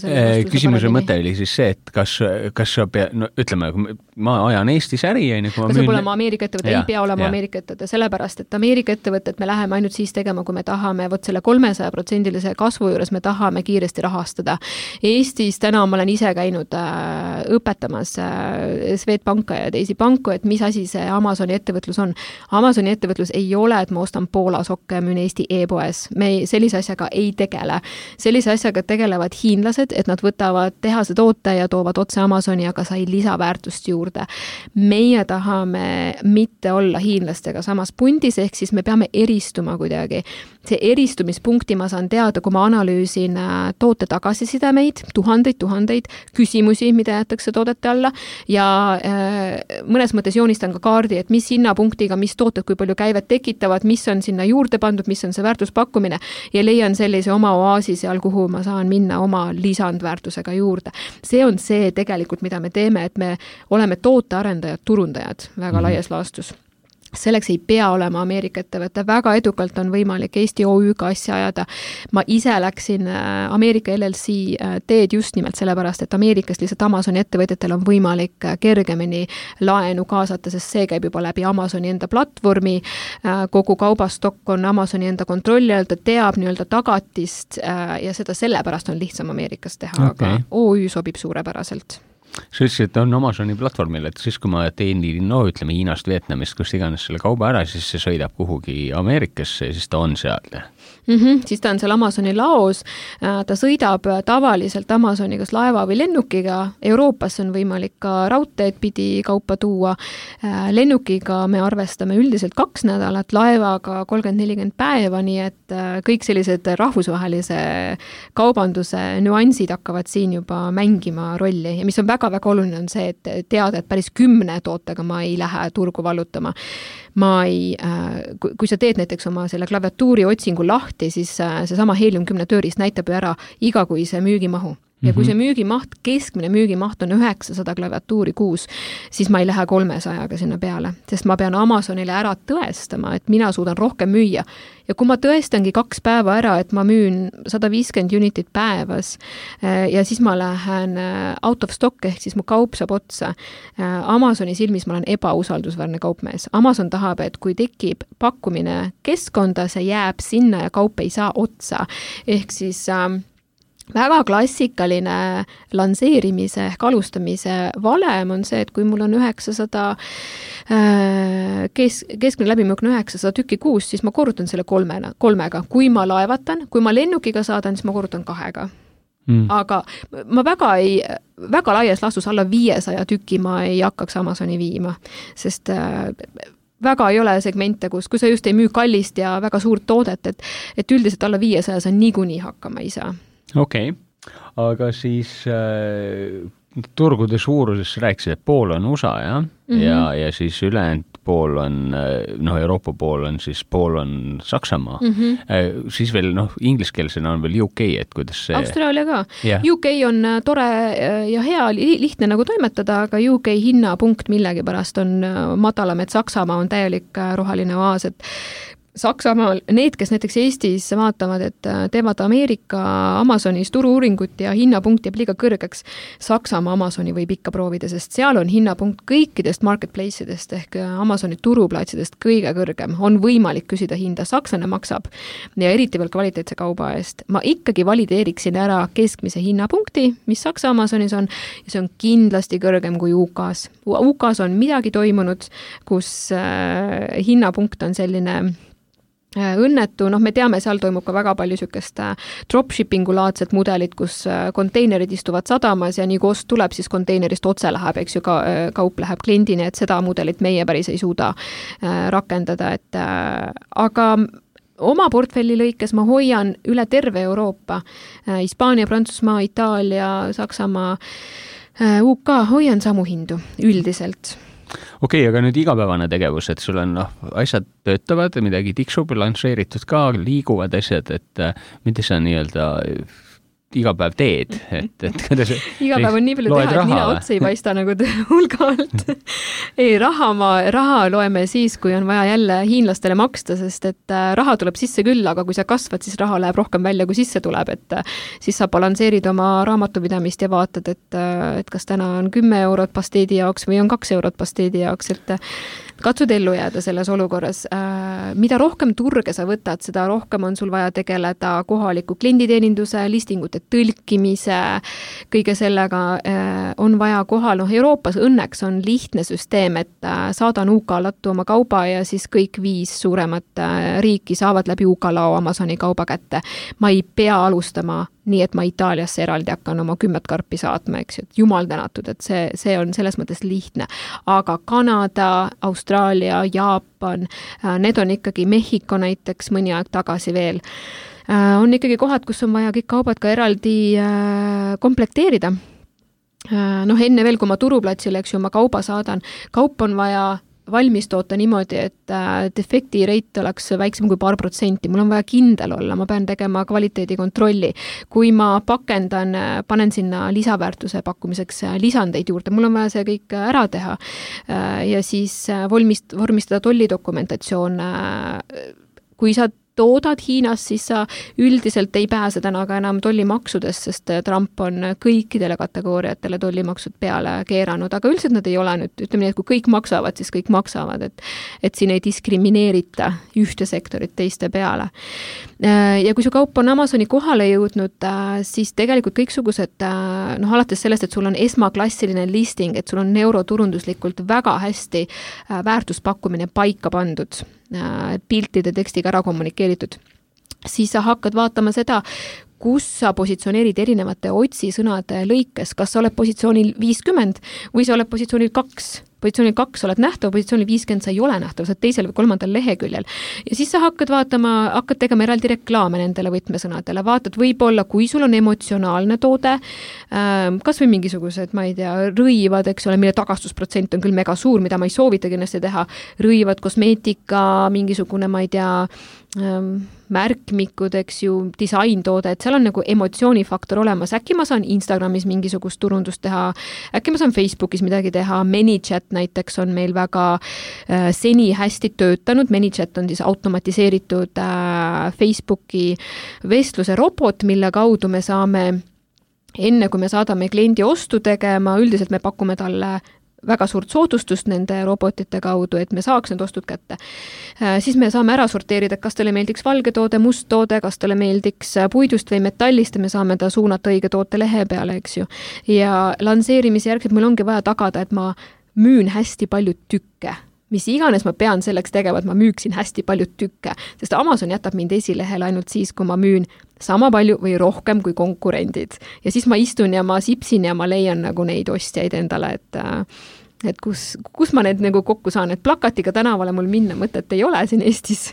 Küsimuse mõte oli siis see, et kas, kas sa pea, no ütleme, ma ajan Eestis äri, ja kui ma kas müün... saab olema Ameerika ettevõte, ei pea olema ja. Ameerika ettevõte, sellepärast, et Ameerika ettevõtet me läheme ainult siis tegema, kui me tahame, vot selle kolmesaja protsendilise kasvu juures me tahame kiiresti rahastada. Eestis täna ma olen ise käinud äh, õpetamas äh, Swedbanka ja teisi panku, et mis asi see Amazoni ettevõtlus on. Amazoni ettevõtlus ei ole, et ma ostan Poola sokke ja müün Eesti e-poes. Me sellise asjaga ei tegele. Sellise asjaga tegelevad hiinlased, et nad võtavad tehase toote ja toovad otse Amazoni, aga sai lisaväärtust juurde. Meie tahame mitte olla hiinlastega samas pundis, ehk siis me peame eristuma kuidagi. See eristumispunkti ma saan teada, kui ma analüüsin toote tagasisidemeid, tuhandeid, tuhandeid küsimusi, mida jätakse toodete alla ja äh, mõnes mõttes joonistan ka kaardi, et mis hinnapunktiga, mis tooted, kui palju käivet tekitavad, mis on sinna juurde pandud, mis on see väärtuspakkumine ja leian sellise oma oaasi seal, kuhu ma saan minna oma lisandväärtusega juurde. See on see tegelikult, mida me teeme, et me oleme tootearendajad, turundajad väga mm-hmm. laias laastus. Selleks ei pea olema Ameerika ettevõte, väga edukalt on võimalik Eesti O Ü-ga asja ajada. Ma ise läksin Ameerika L L C teed just nimelt sellepärast, et Ameerikas lihtsalt Amazoni ettevõtjatel on võimalik kergemini laenu kaasata, sest see käib juba läbi Amazoni enda platvormi, kogu kaubastokk on Amazoni enda kontrolli all, ta teab nii-öelda tagatist ja seda sellepärast on lihtsam Ameerikas teha, okay. Aga O Ü sobib suurepäraselt. Sa ütlesid, et on Amazoni platvormil, et siis kui ma teenin, no ütleme Hiinast, Vietnamist, kus iganes selle kauba ära, siis see sõidab kuhugi Ameerikasse ja siis ta on seal. Mm-hmm, siis ta on seal Amazoni laos, ta sõidab tavaliselt Amazoni kas laeva või lennukiga, Euroopas on võimalik ka raudteed pidi kaupa tuua, lennukiga me arvestame üldiselt kaks nädalat, laevaga kolmkümmend nelikümmend päeva, nii et kõik sellised rahvusvahelise kaubanduse nüansid hakkavad siin juba mängima rolli ja mis on väga väga oluline on see, et teada, et päris kümne tootega ma ei lähe turgu vallutama. Ma ei, kui sa teed näiteks oma selle klaviatuuri otsingu lahti, siis seesama Helium kümne tööriist näitab ju ära igakuise müügimahu. Ja kui see müügimaht, keskmine müügimaht on üheksasada klaviatuuri kuus, siis ma ei lähe kolmesajaga sinna peale, sest ma pean Amazonile ära tõestama, et mina suudan rohkem müüa. Ja kui ma tõestangi kaks päeva ära, et ma müün sada viiskümmend unitit päevas ja siis ma lähen out of stock, ehk siis mu kaup saab otsa. Amazoni silmis ma olen ebausaldusväärne kaupmees. Amazon tahab, et kui tekib pakkumine keskkonda, see jääb sinna ja kaup ei saa otsa. Ehk siis väga klassikaline lanseerimise ehk alustamise valem on see, et kui mul on üheksasada kes, keskmine läbimüük on üheksasada tükki kuus, siis ma korrutan selle kolmena, kolmega. Kui ma laevatan, kui ma lennukiga saadan, siis ma korrutan kahega. Mm. Aga ma väga ei, väga laias laastus alla viiesaja tükki ma ei hakkaks Amazoni viima, sest väga ei ole segmente, kus, kui sa just ei müü kallist ja väga suurt toodet, et, et üldiselt alla viiesaja sa niikuinii hakkama ei saa. Okei, okay. Aga siis äh, turgude suuruses rääkisid, et pool on U S A, ja? Mm-hmm. ja, ja siis ülejäänud pool on, noh, Euroopa pool on siis, pool on Saksamaa. Mm-hmm. Äh, siis veel, noh, ingliskeelsena on veel U K, et kuidas see... Austraalia ka. Yeah. U K on tore ja hea, lihtne nagu toimetada, aga U K hinnapunkt millegi pärast on madalam, et Saksamaa on täielik roheline oaas, et Saksamaal, need, kes näiteks Eestis vaatavad, et teevad Ameerika Amazonis turu-uuringut ja hinnapunkt jääb liiga kõrgeks, Saksamaa Amazoni võib ikka proovida, sest seal on hinnapunkt kõikidest marketplace'idest ehk Amazoni turuplaatsidest kõige kõrgem. On võimalik küsida hinda, sakslane maksab ja eriti veel kvaliteetse kauba eest. Ma ikkagi valideeriksin ära keskmise hinnapunkti, mis Saksa Amazonis on, ja see on kindlasti kõrgem kui U K-s. U K-s on midagi toimunud, kus äh, hinnapunkt on selline õnnetu, noh, me teame, seal toimub ka väga palju sükest dropshippingu laadset mudelit, kus konteinerid istuvad sadamas ja nii kui ost tuleb, siis konteinerist otse läheb, eks ju, ka, kaup läheb kliendini, et seda mudelit meie päris ei suuda rakendada, et aga oma portfelli lõikes ma hoian üle terve Euroopa, Hispaania, Prantsusmaa, Itaalia, Saksamaa, U K, hoian samu hindu üldiselt. Okei, okay, aga nüüd igapäevane tegevus, et sul on, noh, asjad töötavad, midagi tiksub, lansseeritud ka, liiguvad asjad, et mida sa nii-öelda iga päev teed, et, et kuidas iga päev on nii palju teha, et nina otsa ei paista nagu hulga alt. ei, raha, ma, raha loeme siis, kui on vaja jälle hiinlastele maksta, sest et raha tuleb sisse küll, aga kui sa kasvad, siis raha läheb rohkem välja, kui sisse tuleb, et siis sa balansseerid oma raamatupidamist ja vaatad, et, et kas täna on kümme eurot pasteedi jaoks või on kaks eurot pasteedi jaoks, et katsud ellu jääda selles olukorras. Mida rohkem turge sa võtad, seda rohkem on sul vaja tegeleda kohaliku klienditeeninduse, listingute tõlkimise, kõige sellega on vaja kohal. Noh, Euroopas õnneks on lihtne süsteem, et saadan U K lattu oma kauba ja siis kõik viis suuremat riiki saavad läbi U K lao Amazoni kauba kätte. Ma ei pea alustama nii, et ma Itaaliasse eraldi hakkan oma kümmet karpi saatma, eks ju, et jumal tänatud, et see, see on selles mõttes lihtne. Aga Kanada, Austraalia, Jaapan, need on ikkagi Mehhiko näiteks mõni aeg tagasi veel. On ikkagi kohad, kus on vaja kõik kaubad ka eraldi komplekteerida. Noh, enne veel, kui ma turuplatsile, eks ju, oma kauba saadan, kaup on vaja valmis toota niimoodi, et defekti reit oleks väiksem kui paar protsenti. Mul on vaja kindel olla, ma pean tegema kvaliteedikontrolli. Kui ma pakendan, panen sinna lisaväärtuse pakkumiseks lisandeid juurde, mul on vaja see kõik ära teha ja siis vormist, vormistada tollidokumentatsioon. Kui sa toodad Hiinas, siis sa üldiselt ei pääse täna ka enam tollimaksudest, sest Trump on kõikidele kategooriatele tollimaksud peale keeranud, aga üldiselt nad ei ole nüüd, ütleme nii, et kui kõik maksavad, siis kõik maksavad, et, et siin ei diskrimineerita ühte sektorit teiste peale. Ja kui su kaup on Amazoni kohale jõudnud, siis tegelikult kõiksugused, noh, alates sellest, et sul on esmaklassiline listing, et sul on neuroturunduslikult väga hästi väärtuspakkumine paika pandud, piltide tekstiga ära kommunikeeritud, siis sa hakkad vaatama seda, kus sa positsioneerid erinevate otsisõnade lõikes, kas sa oled positsioonil viiskümmend või sa oled positsioonil kaks. Positsioonil kaks oled nähtav, positsioonil viiskümmend sa ei ole nähtav, sa oled teisel või kolmandal leheküljel. Ja siis sa hakkad vaatama, hakkad tegema eraldi reklaame nendele võtmesõnadele, vaatad võib-olla, kui sul on emotsionaalne toode, kas või mingisugused, ma ei tea, rõivad, eks ole, mille tagastusprotsent on küll mega suur, mida ma ei soovita kindlasti teha, rõivad, kosmeetika, mingisugune, ma ei tea, märkmikud, eks ju, disaintoode, et seal on nagu emotsioonifaktor olemas. Äkki ma saan Instagramis mingisugust turundust teha, äkki ma saan Facebookis midagi teha, ManyChat näiteks on meil väga äh, seni hästi töötanud. ManyChat on siis automatiseeritud äh, Facebooki vestluse robot, mille kaudu me saame, enne kui me saadame kliendi ostu tegema, üldiselt me pakume talle väga suurt soodustust nende robotite kaudu, et me saaks need ostud kätte. Siis me saame ära sorteerida, kas talle meeldiks valge toode, must toode, kas talle meeldiks puidust või metallist ja me saame ta suunata õige toote lehe peale, eks ju. Ja lansseerimise järgselt meil ongi vaja tagada, et ma müün hästi palju tükke. Mis iganes ma pean selleks tegema, et ma müüksin hästi palju tükke, sest Amazon jätab mind esilehel ainult siis, kui ma müün sama palju või rohkem kui konkurendid. Ja siis ma istun ja ma sipsin ja ma leian nagu neid ostjaid endale, et et kus, kus ma need nagu kokku saan, et plakatiga tänavale mul minna mõtet ei ole siin Eestis.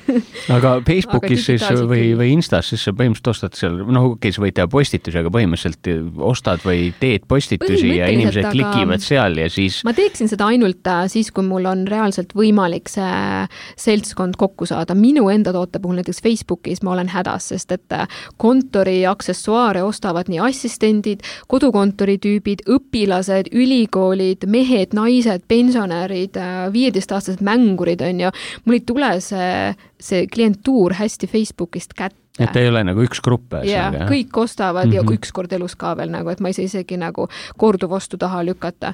Aga Facebookis aga siis või, või Instas siis sa põhimõtteliselt ostad seal, noh, okei, sa võid teha postitusi, aga põhimõtteliselt ostad või teed postitusi ja inimesed klikivad seal ja siis... Ma teeksin seda ainult siis, kui mul on reaalselt võimalik see seltskond kokku saada. Minu enda toote puhul näiteks Facebookis ma olen hädas, sest et kontori aksessuaare ostavad nii assistendid, kodukontori tüübid, õpilased, ülikoolid, mehed, naised, pensionärid, viieteistaastased mängurid on ja mul ei tule see, see klientuur hästi Facebookist kätte. Et ei ole nagu üks grupp. Ja, jah. Kõik ostavad mm -hmm. ja üks kord elus ka veel nagu, et ma ei saa isegi nagu korduvostu taha lükata.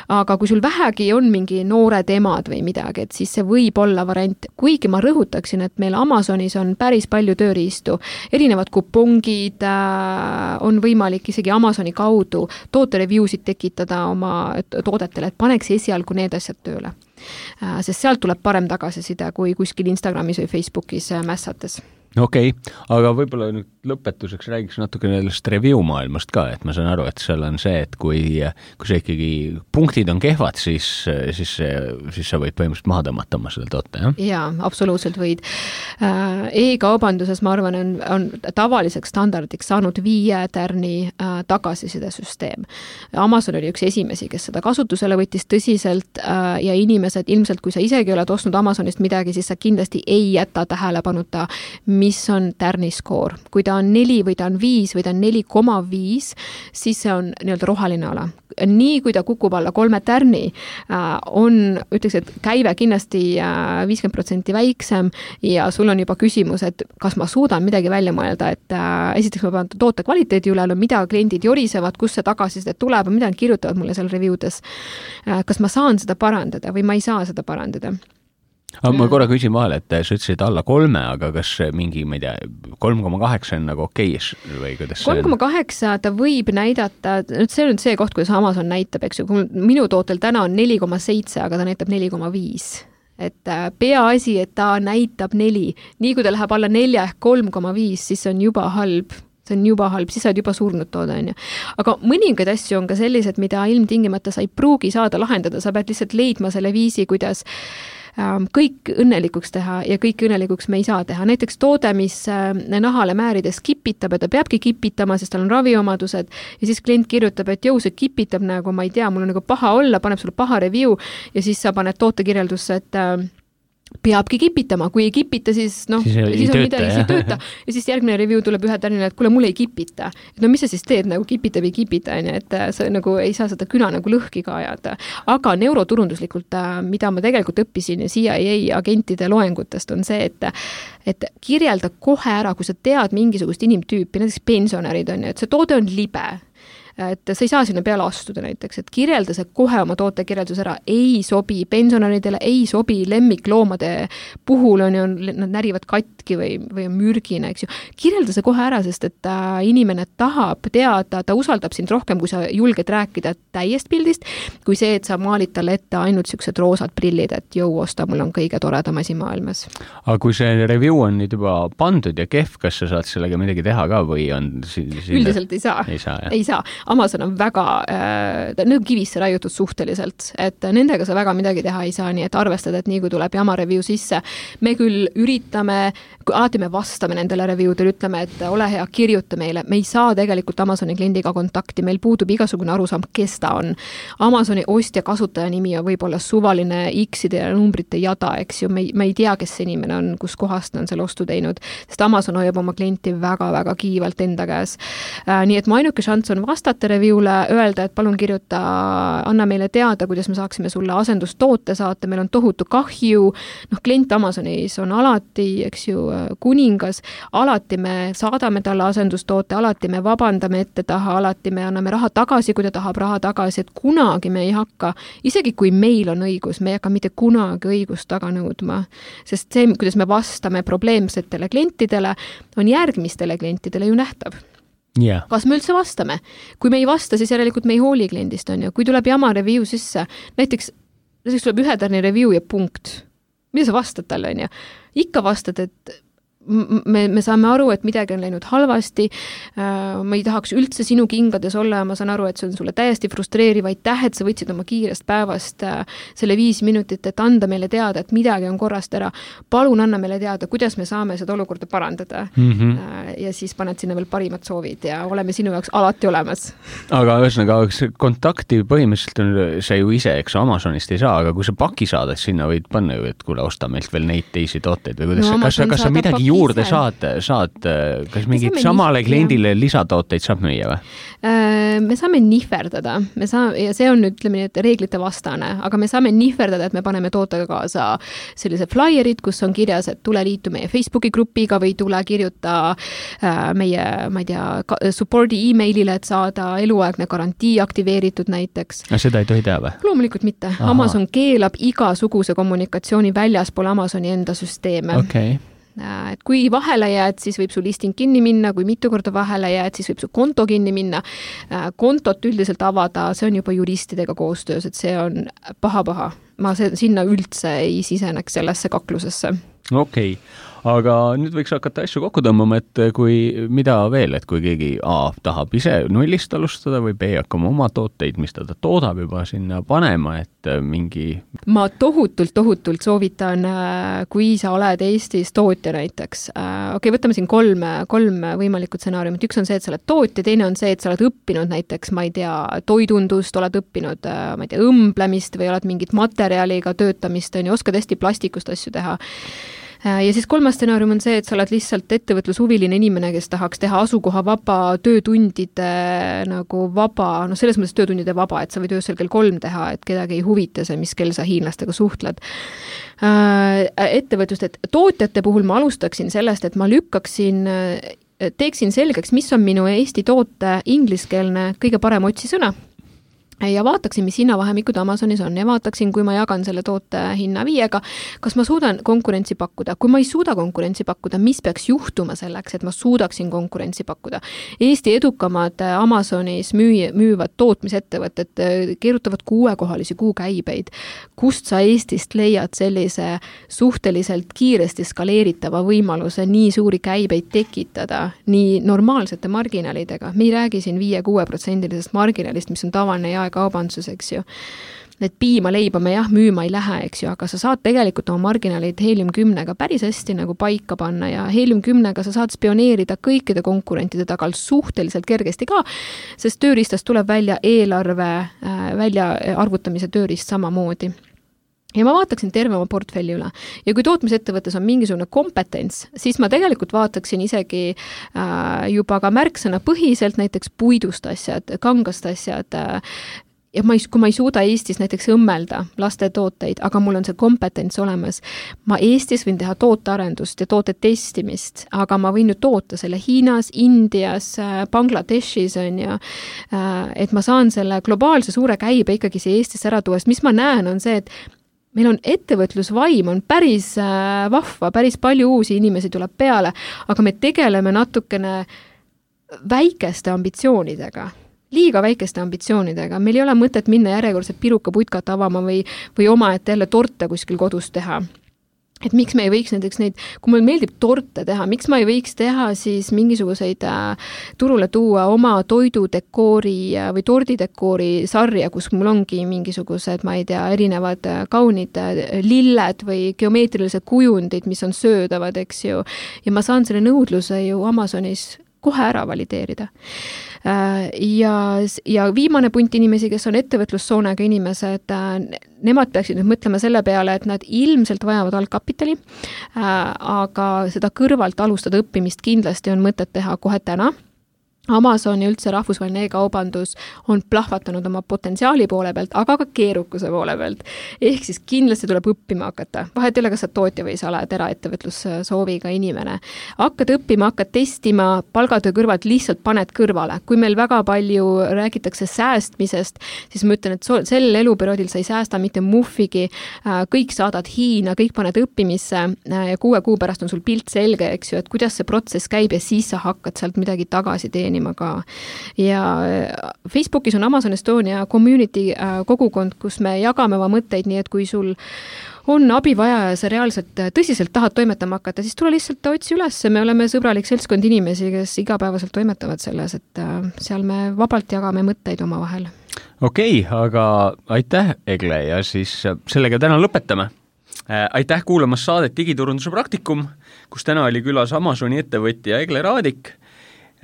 Aga kui sul vähegi on mingi noored emad või midagi, et siis see võib olla variant, kuigi ma rõhutaksin, et meil Amazonis on päris palju tööriistu, erinevad kupongid, on võimalik isegi Amazoni kaudu tootereviewsid tekitada oma toodetele, et paneks esialgu need asjad tööle. Sest sealt tuleb parem tagasiside kui kuskil Instagramis või Facebookis mässates. Okei, okay, aga võib-olla nüüd lõpetuseks räägiks natuke sellest review maailmast ka, et ma saan aru, et seal on see, et kui, kui see ikkagi punktid on kehvad, siis, siis, siis sa võid põhimõtteliselt maha tõmmata oma selle toote, jah? Jaa, absoluutselt võid. E-kaubanduses, ma arvan, on, on tavaliseks standardiks saanud viie tärni tagasiside süsteem. Amazon oli üks esimesi, kes seda kasutusele võttis tõsiselt ja inimesed, ilmselt kui sa isegi oled ostnud Amazonist midagi, siis sa kindlasti ei jäta tähelepanuta, mis on tärniskoor. Kui ta on neli või ta on viis või ta on neli koma viis, siis see on nii-öelda roheline ala. Nii kui ta kukub alla kolme tärni, on, ütleks, et käive kindlasti viiskümmend protsenti väiksem ja sul on juba küsimus, et kas ma suudan midagi välja mõelda, et esiteks ma pean toote kvaliteedi üle, no mida kliendid jorisevad, kus see tagasisidet tuleb, mida nad kirjutavad mulle seal reviewdes. Kas ma saan seda parandada või ma ei saa seda parandada? Aga ma korra küsin vahele, et sa ütlesid alla kolme, aga kas mingi, ma ei tea, kolm koma kaheksa on nagu okei või kuidas see on? kolm koma kaheksa ta võib näidata, see on see koht, kuidas Amazon näitab, eks ju, minu tootel täna on neli koma seitse, aga ta näitab neli koma viis. Et peaasi, et ta näitab neli. Nii kui ta läheb alla nelja ehk kolm koma viis, siis see on juba halb. See on juba halb, siis sa oled juba surnud toode, on ju. Aga mõningaid asju on ka sellised, mida ilmtingimata sa ei pruugi saada lahendada, sa pead lihtsalt leidma selle viisi, kuidas kõik õnnelikuks teha ja kõik õnnelikuks me ei saa teha. Näiteks toode, mis nahale määrides kipitab ja ta peabki kipitama, sest tal on raviomadused ja siis klient kirjutab, et jõu, see kipitab nagu, ma ei tea, mul on nagu paha olla, paneb sulle paha review ja siis sa paned tootekirjeldusse, et peabki kipitama, kui ei kipita, siis noh, siis, siis on midagi, siis ei tööta. Ja siis järgmine review tuleb ühe tärnile, et kuule, mul ei kipita. Et no mis sa siis teed, nagu kipita või kipita, et sa nagu ei saa seda küna nagu lõhki ka ajada. Aga neuroturunduslikult, mida ma tegelikult õppisin C I A agentide loengutest, on see, et, et kirjelda kohe ära, kui sa tead mingisugust inimtüüpi, näiteks pensionärid on, et see toode on libe, et sa ei saa sinna peale astuda näiteks, et kirjelda see kohe oma toote kirjeldus ära, ei sobi pensionaridele, ei sobi lemmikloomade puhul on ju, nad närivad katki või, või on mürgine, eks ju. Kirjelda see kohe ära, sest et äh, inimene tahab teada, ta usaldab sind rohkem, kui sa julged rääkida täiest pildist, kui see, et sa maalid talle ette ainult siuksed roosad prillid, et jõu osta, mul on kõige toredam asi maailmas. Aga kui see review on nüüd juba pandud ja kehv, kas sa saad sellega midagi teha ka või on siin... Üldiselt ei saa. Ei saa, ei saa. Amazon on väga, äh, need kivisse raiutud suhteliselt, et nendega sa väga midagi teha ei saa, nii et arvestada, et nii kui tuleb jama review sisse, me küll üritame, alati me vastame nendele reviewdele, ütleme, et ole hea, kirjuta meile, me ei saa tegelikult Amazoni kliendiga kontakti, meil puudub igasugune arusaam, kes ta on. Amazoni ostja kasutaja nimi on võib-olla suvaline X-ide ja numbrite jada, eks ju, me ei, me ei tea, kes see inimene on, kus kohast on selle ostu teinud, sest Amazon hoiab oma klienti väga-väga kiivalt enda käes. Äh, nii et mu ainuke šants on vastata reviewle, öelda, et palun kirjuta, anna meile teada, kuidas me saaksime sulle asendustoote saata, meil on tohutu kahju, noh, klient Amazonis on alati, eks ju, kuningas, alati me saadame talle asendustoote, alati me vabandame ette taha, alati me anname raha tagasi, kui ta tahab raha tagasi, et kunagi me ei hakka, isegi kui meil on õigus, me ei hakka mitte kunagi õigust taga nõudma, sest see, kuidas me vastame probleemsetele klientidele, on järgmistele klientidele ju nähtav. Yeah. Kas me üldse vastame? Kui me ei vasta, siis järelikult me ei hooli kliendist, on ju. Kui tuleb jama review sisse, näiteks, näiteks tuleb ühe tärni review ja punkt. Mida sa vastad talle, on ju? Ikka vastad, et me, me saame aru, et midagi on läinud halvasti, ma ei tahaks üldse sinu kingades olla ja ma saan aru, et see on sulle täiesti frustreeriv, aitäh, et sa võtsid oma kiirest päevast selle viis minutit, et anda meile teada, et midagi on korrast ära. Palun anna meile teada, kuidas me saame seda olukorda parandada. Mm-hmm. Ja siis paned sinna veel parimad soovid ja oleme sinu jaoks alati olemas. Aga ühesõnaga, kontakti põhimõtteliselt on see ju ise, eks Amazonist ei saa, aga kui sa paki saadad, sinna võid panna ju, et kuule, osta meilt veel neid teisi tooteid või kuidas no, kas, kas sa midagi juurde saad, saad, kas mingid samale kliendile lisatooteid saab müüa või? Me saame nihverdada, me saame, ja see on nüüd, ütleme nii, et reeglite vastane, aga me saame nihverdada, et me paneme tootega kaasa sellise flyerid, kus on kirjas, et tule liitu meie Facebooki grupiga või tule kirjuta meie, ma ei tea, supporti e-mailile, et saada eluaegne garantii aktiveeritud näiteks. Ja seda ei tohi teha või? Loomulikult mitte. Aha. Amazon keelab igasuguse kommunikatsiooni väljaspool Amazoni enda süsteeme. Okei. Okay. Et kui vahele jääd, siis võib su listing kinni minna, kui mitu korda vahele jääd, siis võib su konto kinni minna. Kontot üldiselt avada, see on juba juristidega koostöös, et see on paha-paha. Ma sinna üldse ei siseneks sellesse kaklusesse. Okei, aga nüüd võiks hakata asju kokku tõmbama, et kui, mida veel, et kui keegi A tahab ise nullist alustada või B hakkama oma tooteid, mis ta toodab juba sinna panema, et mingi... Ma tohutult, tohutult soovitan, kui sa oled Eestis tootja näiteks. Okei, okay, võtame siin kolm, kolm võimalikku stsenaariumit. Üks on see, et sa oled tootja, teine on see, et sa oled õppinud näiteks, ma ei tea, toidundust, oled õppinud, ma ei tea, õmblemist või oled mingit materjaliga töötamist, on ju, oskad hästi plastikust asju teha. ja siis kolmas stsenaarium on see, et sa oled lihtsalt ettevõtlushuviline inimene, kes tahaks teha asukoha vaba, töötundide nagu vaba, noh selles mõttes töötundide vaba, et sa võid öösel kell kolm teha, et kedagi ei huvita see, mis kell sa hiinlastega suhtled. Ettevõtlust, et tootjate puhul ma alustaksin sellest, et ma lükkaksin, teeksin selgeks, mis on minu Eesti toote ingliskeelne kõige parem otsisõna. Ja vaataksin, mis hinnavahemikud Amazonis on ja vaataksin, kui ma jagan selle toote hinna viiega, kas ma suudan konkurentsi pakkuda. Kui ma ei suuda konkurentsi pakkuda, mis peaks juhtuma selleks, et ma suudaksin konkurentsi pakkuda. Eesti edukamad Amazonis müü, müüvad tootmisettevõtted keerutavad kuuekohalisi kuukäibeid. Kust sa Eestist leiad sellise suhteliselt kiiresti skaleeritava võimaluse nii suuri käibeid tekitada nii normaalsete marginaalidega? Me ei räägi siin viie-kuue protsendilisest marginaalist, mis on tavaline ja kaubandsus, eks ju. Need piima leiba me jah, müüma ei lähe, eks ju, aga sa saad tegelikult oma marginaalid Helium kümnega päris hästi nagu paika panna ja Helium kümnega sa saad spioneerida kõikide konkurentide tagal suhteliselt kergesti ka, sest tööriistast tuleb välja eelarve välja arvutamise tööriist samamoodi. Ja ma vaataksin terve oma portfelli üle. Ja kui tootmisettevõttes on mingisugune kompetents, siis ma tegelikult vaataksin isegi äh, juba ka märksõna põhiselt näiteks puidust asjad, kangast asjad, äh, ja ma ei, kui ma ei suuda Eestis näiteks õmmelda laste tooteid, aga mul on see kompetents olemas. Ma Eestis võin teha tootearendust ja toote testimist, aga ma võin ju toota selle Hiinas, Indias, Bangladeshis on ja et ma saan selle globaalse suure käibe ikkagi siia Eestisse ära tuua. Mis ma näen on see, et meil on ettevõtlusvaim, on päris vahva, päris palju uusi inimesi tuleb peale, aga me tegeleme natukene väikeste ambitsioonidega. Liiga väikeste ambitsioonidega. Meil ei ole mõtet minna järjekordselt piruka putkat avama või, või oma, et jälle torte kuskil kodus teha. Et miks me ei võiks näiteks neid, kui meil meeldib torte teha, miks ma ei võiks teha siis mingisuguseid äh, turule tuua oma toidudekoori äh, või tordidekoori sarja, kus mul ongi mingisugused, ma ei tea, erinevad äh, kaunid äh, lilled või geomeetrilised kujundid, mis on söödavad, eks ju. Ja ma saan selle nõudluse ju Amazonis kohe ära valideerida. Ja, ja viimane punt inimesi, kes on ettevõtlussoonega inimesed, nemad peaksid nüüd mõtlema selle peale, et nad ilmselt vajavad algkapitali, aga seda kõrvalt alustada õppimist kindlasti on mõtet teha kohe täna. Amazon ja üldse rahvusvaheline e-kaubandus on plahvatanud oma potentsiaali poole pealt, aga ka keerukuse poole pealt. Ehk siis kindlasti tuleb õppima hakata. Vahet ei ole, kas sa tootja või sa oled eraettevõtlussooviga inimene. Hakkad õppima, hakkad testima, palgatöö kõrvalt lihtsalt paned kõrvale. Kui meil väga palju räägitakse säästmisest, siis ma ütlen, et sel eluperioodil sa ei säästa mitte muffigi, kõik saadad Hiina, kõik paned õppimisse ja kuue kuu pärast on sul pilt selge, eks ju, et kuidas see protsess käib ja siis sa hakkad sealt midagi tagasi teenima ka. Ja Facebookis on Amazon Estonia community kogukond, kus me jagame oma mõtteid, nii et kui sul on abi vaja ja sa reaalselt tõsiselt tahad toimetama hakata, siis tule lihtsalt otsi üles. Me oleme sõbralik seltskond inimesi, kes igapäevaselt toimetavad selles, et seal me vabalt jagame mõtteid oma vahel. Okei, okay, aga aitäh, Egle, ja siis sellega täna lõpetame. Aitäh kuulamas saadet Digiturunduse praktikum, kus täna oli külas Amazoni ettevõtja Egle Raadik.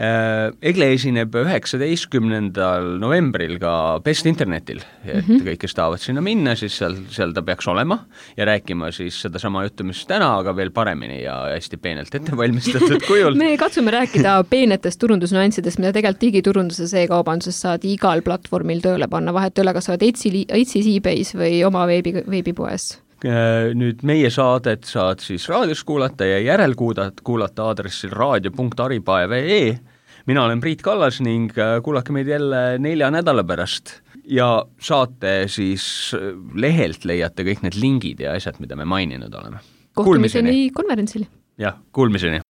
Egle esineb üheksateistkümnendal novembril ka Best Internetil, et mm-hmm. kõik, kes tahavad sinna minna, siis seal, seal ta peaks olema ja rääkima siis seda sama juttu, mis täna, aga veel paremini ja hästi peenelt ettevalmistatud kujul. Me katsume rääkida peenetest turundusnüanssidest, mida tegelikult digiturunduses e-kaubanduses saad igal platvormil tööle panna, vahet üle, kas saad Etsy's, eBay's või oma veebi, veebipoes. Nüüd meie saadet saad siis raadios kuulata ja järelkuulata kuulata aadressil raadio punkt aripae punkt ee. Mina olen Priit Kallas ning kuulake meid jälle nelja nädala pärast ja saate siis lehelt leiate kõik need lingid ja asjad, mida me maininud oleme. Kohtumiseni konverentsil. Jah, kuulmiseni.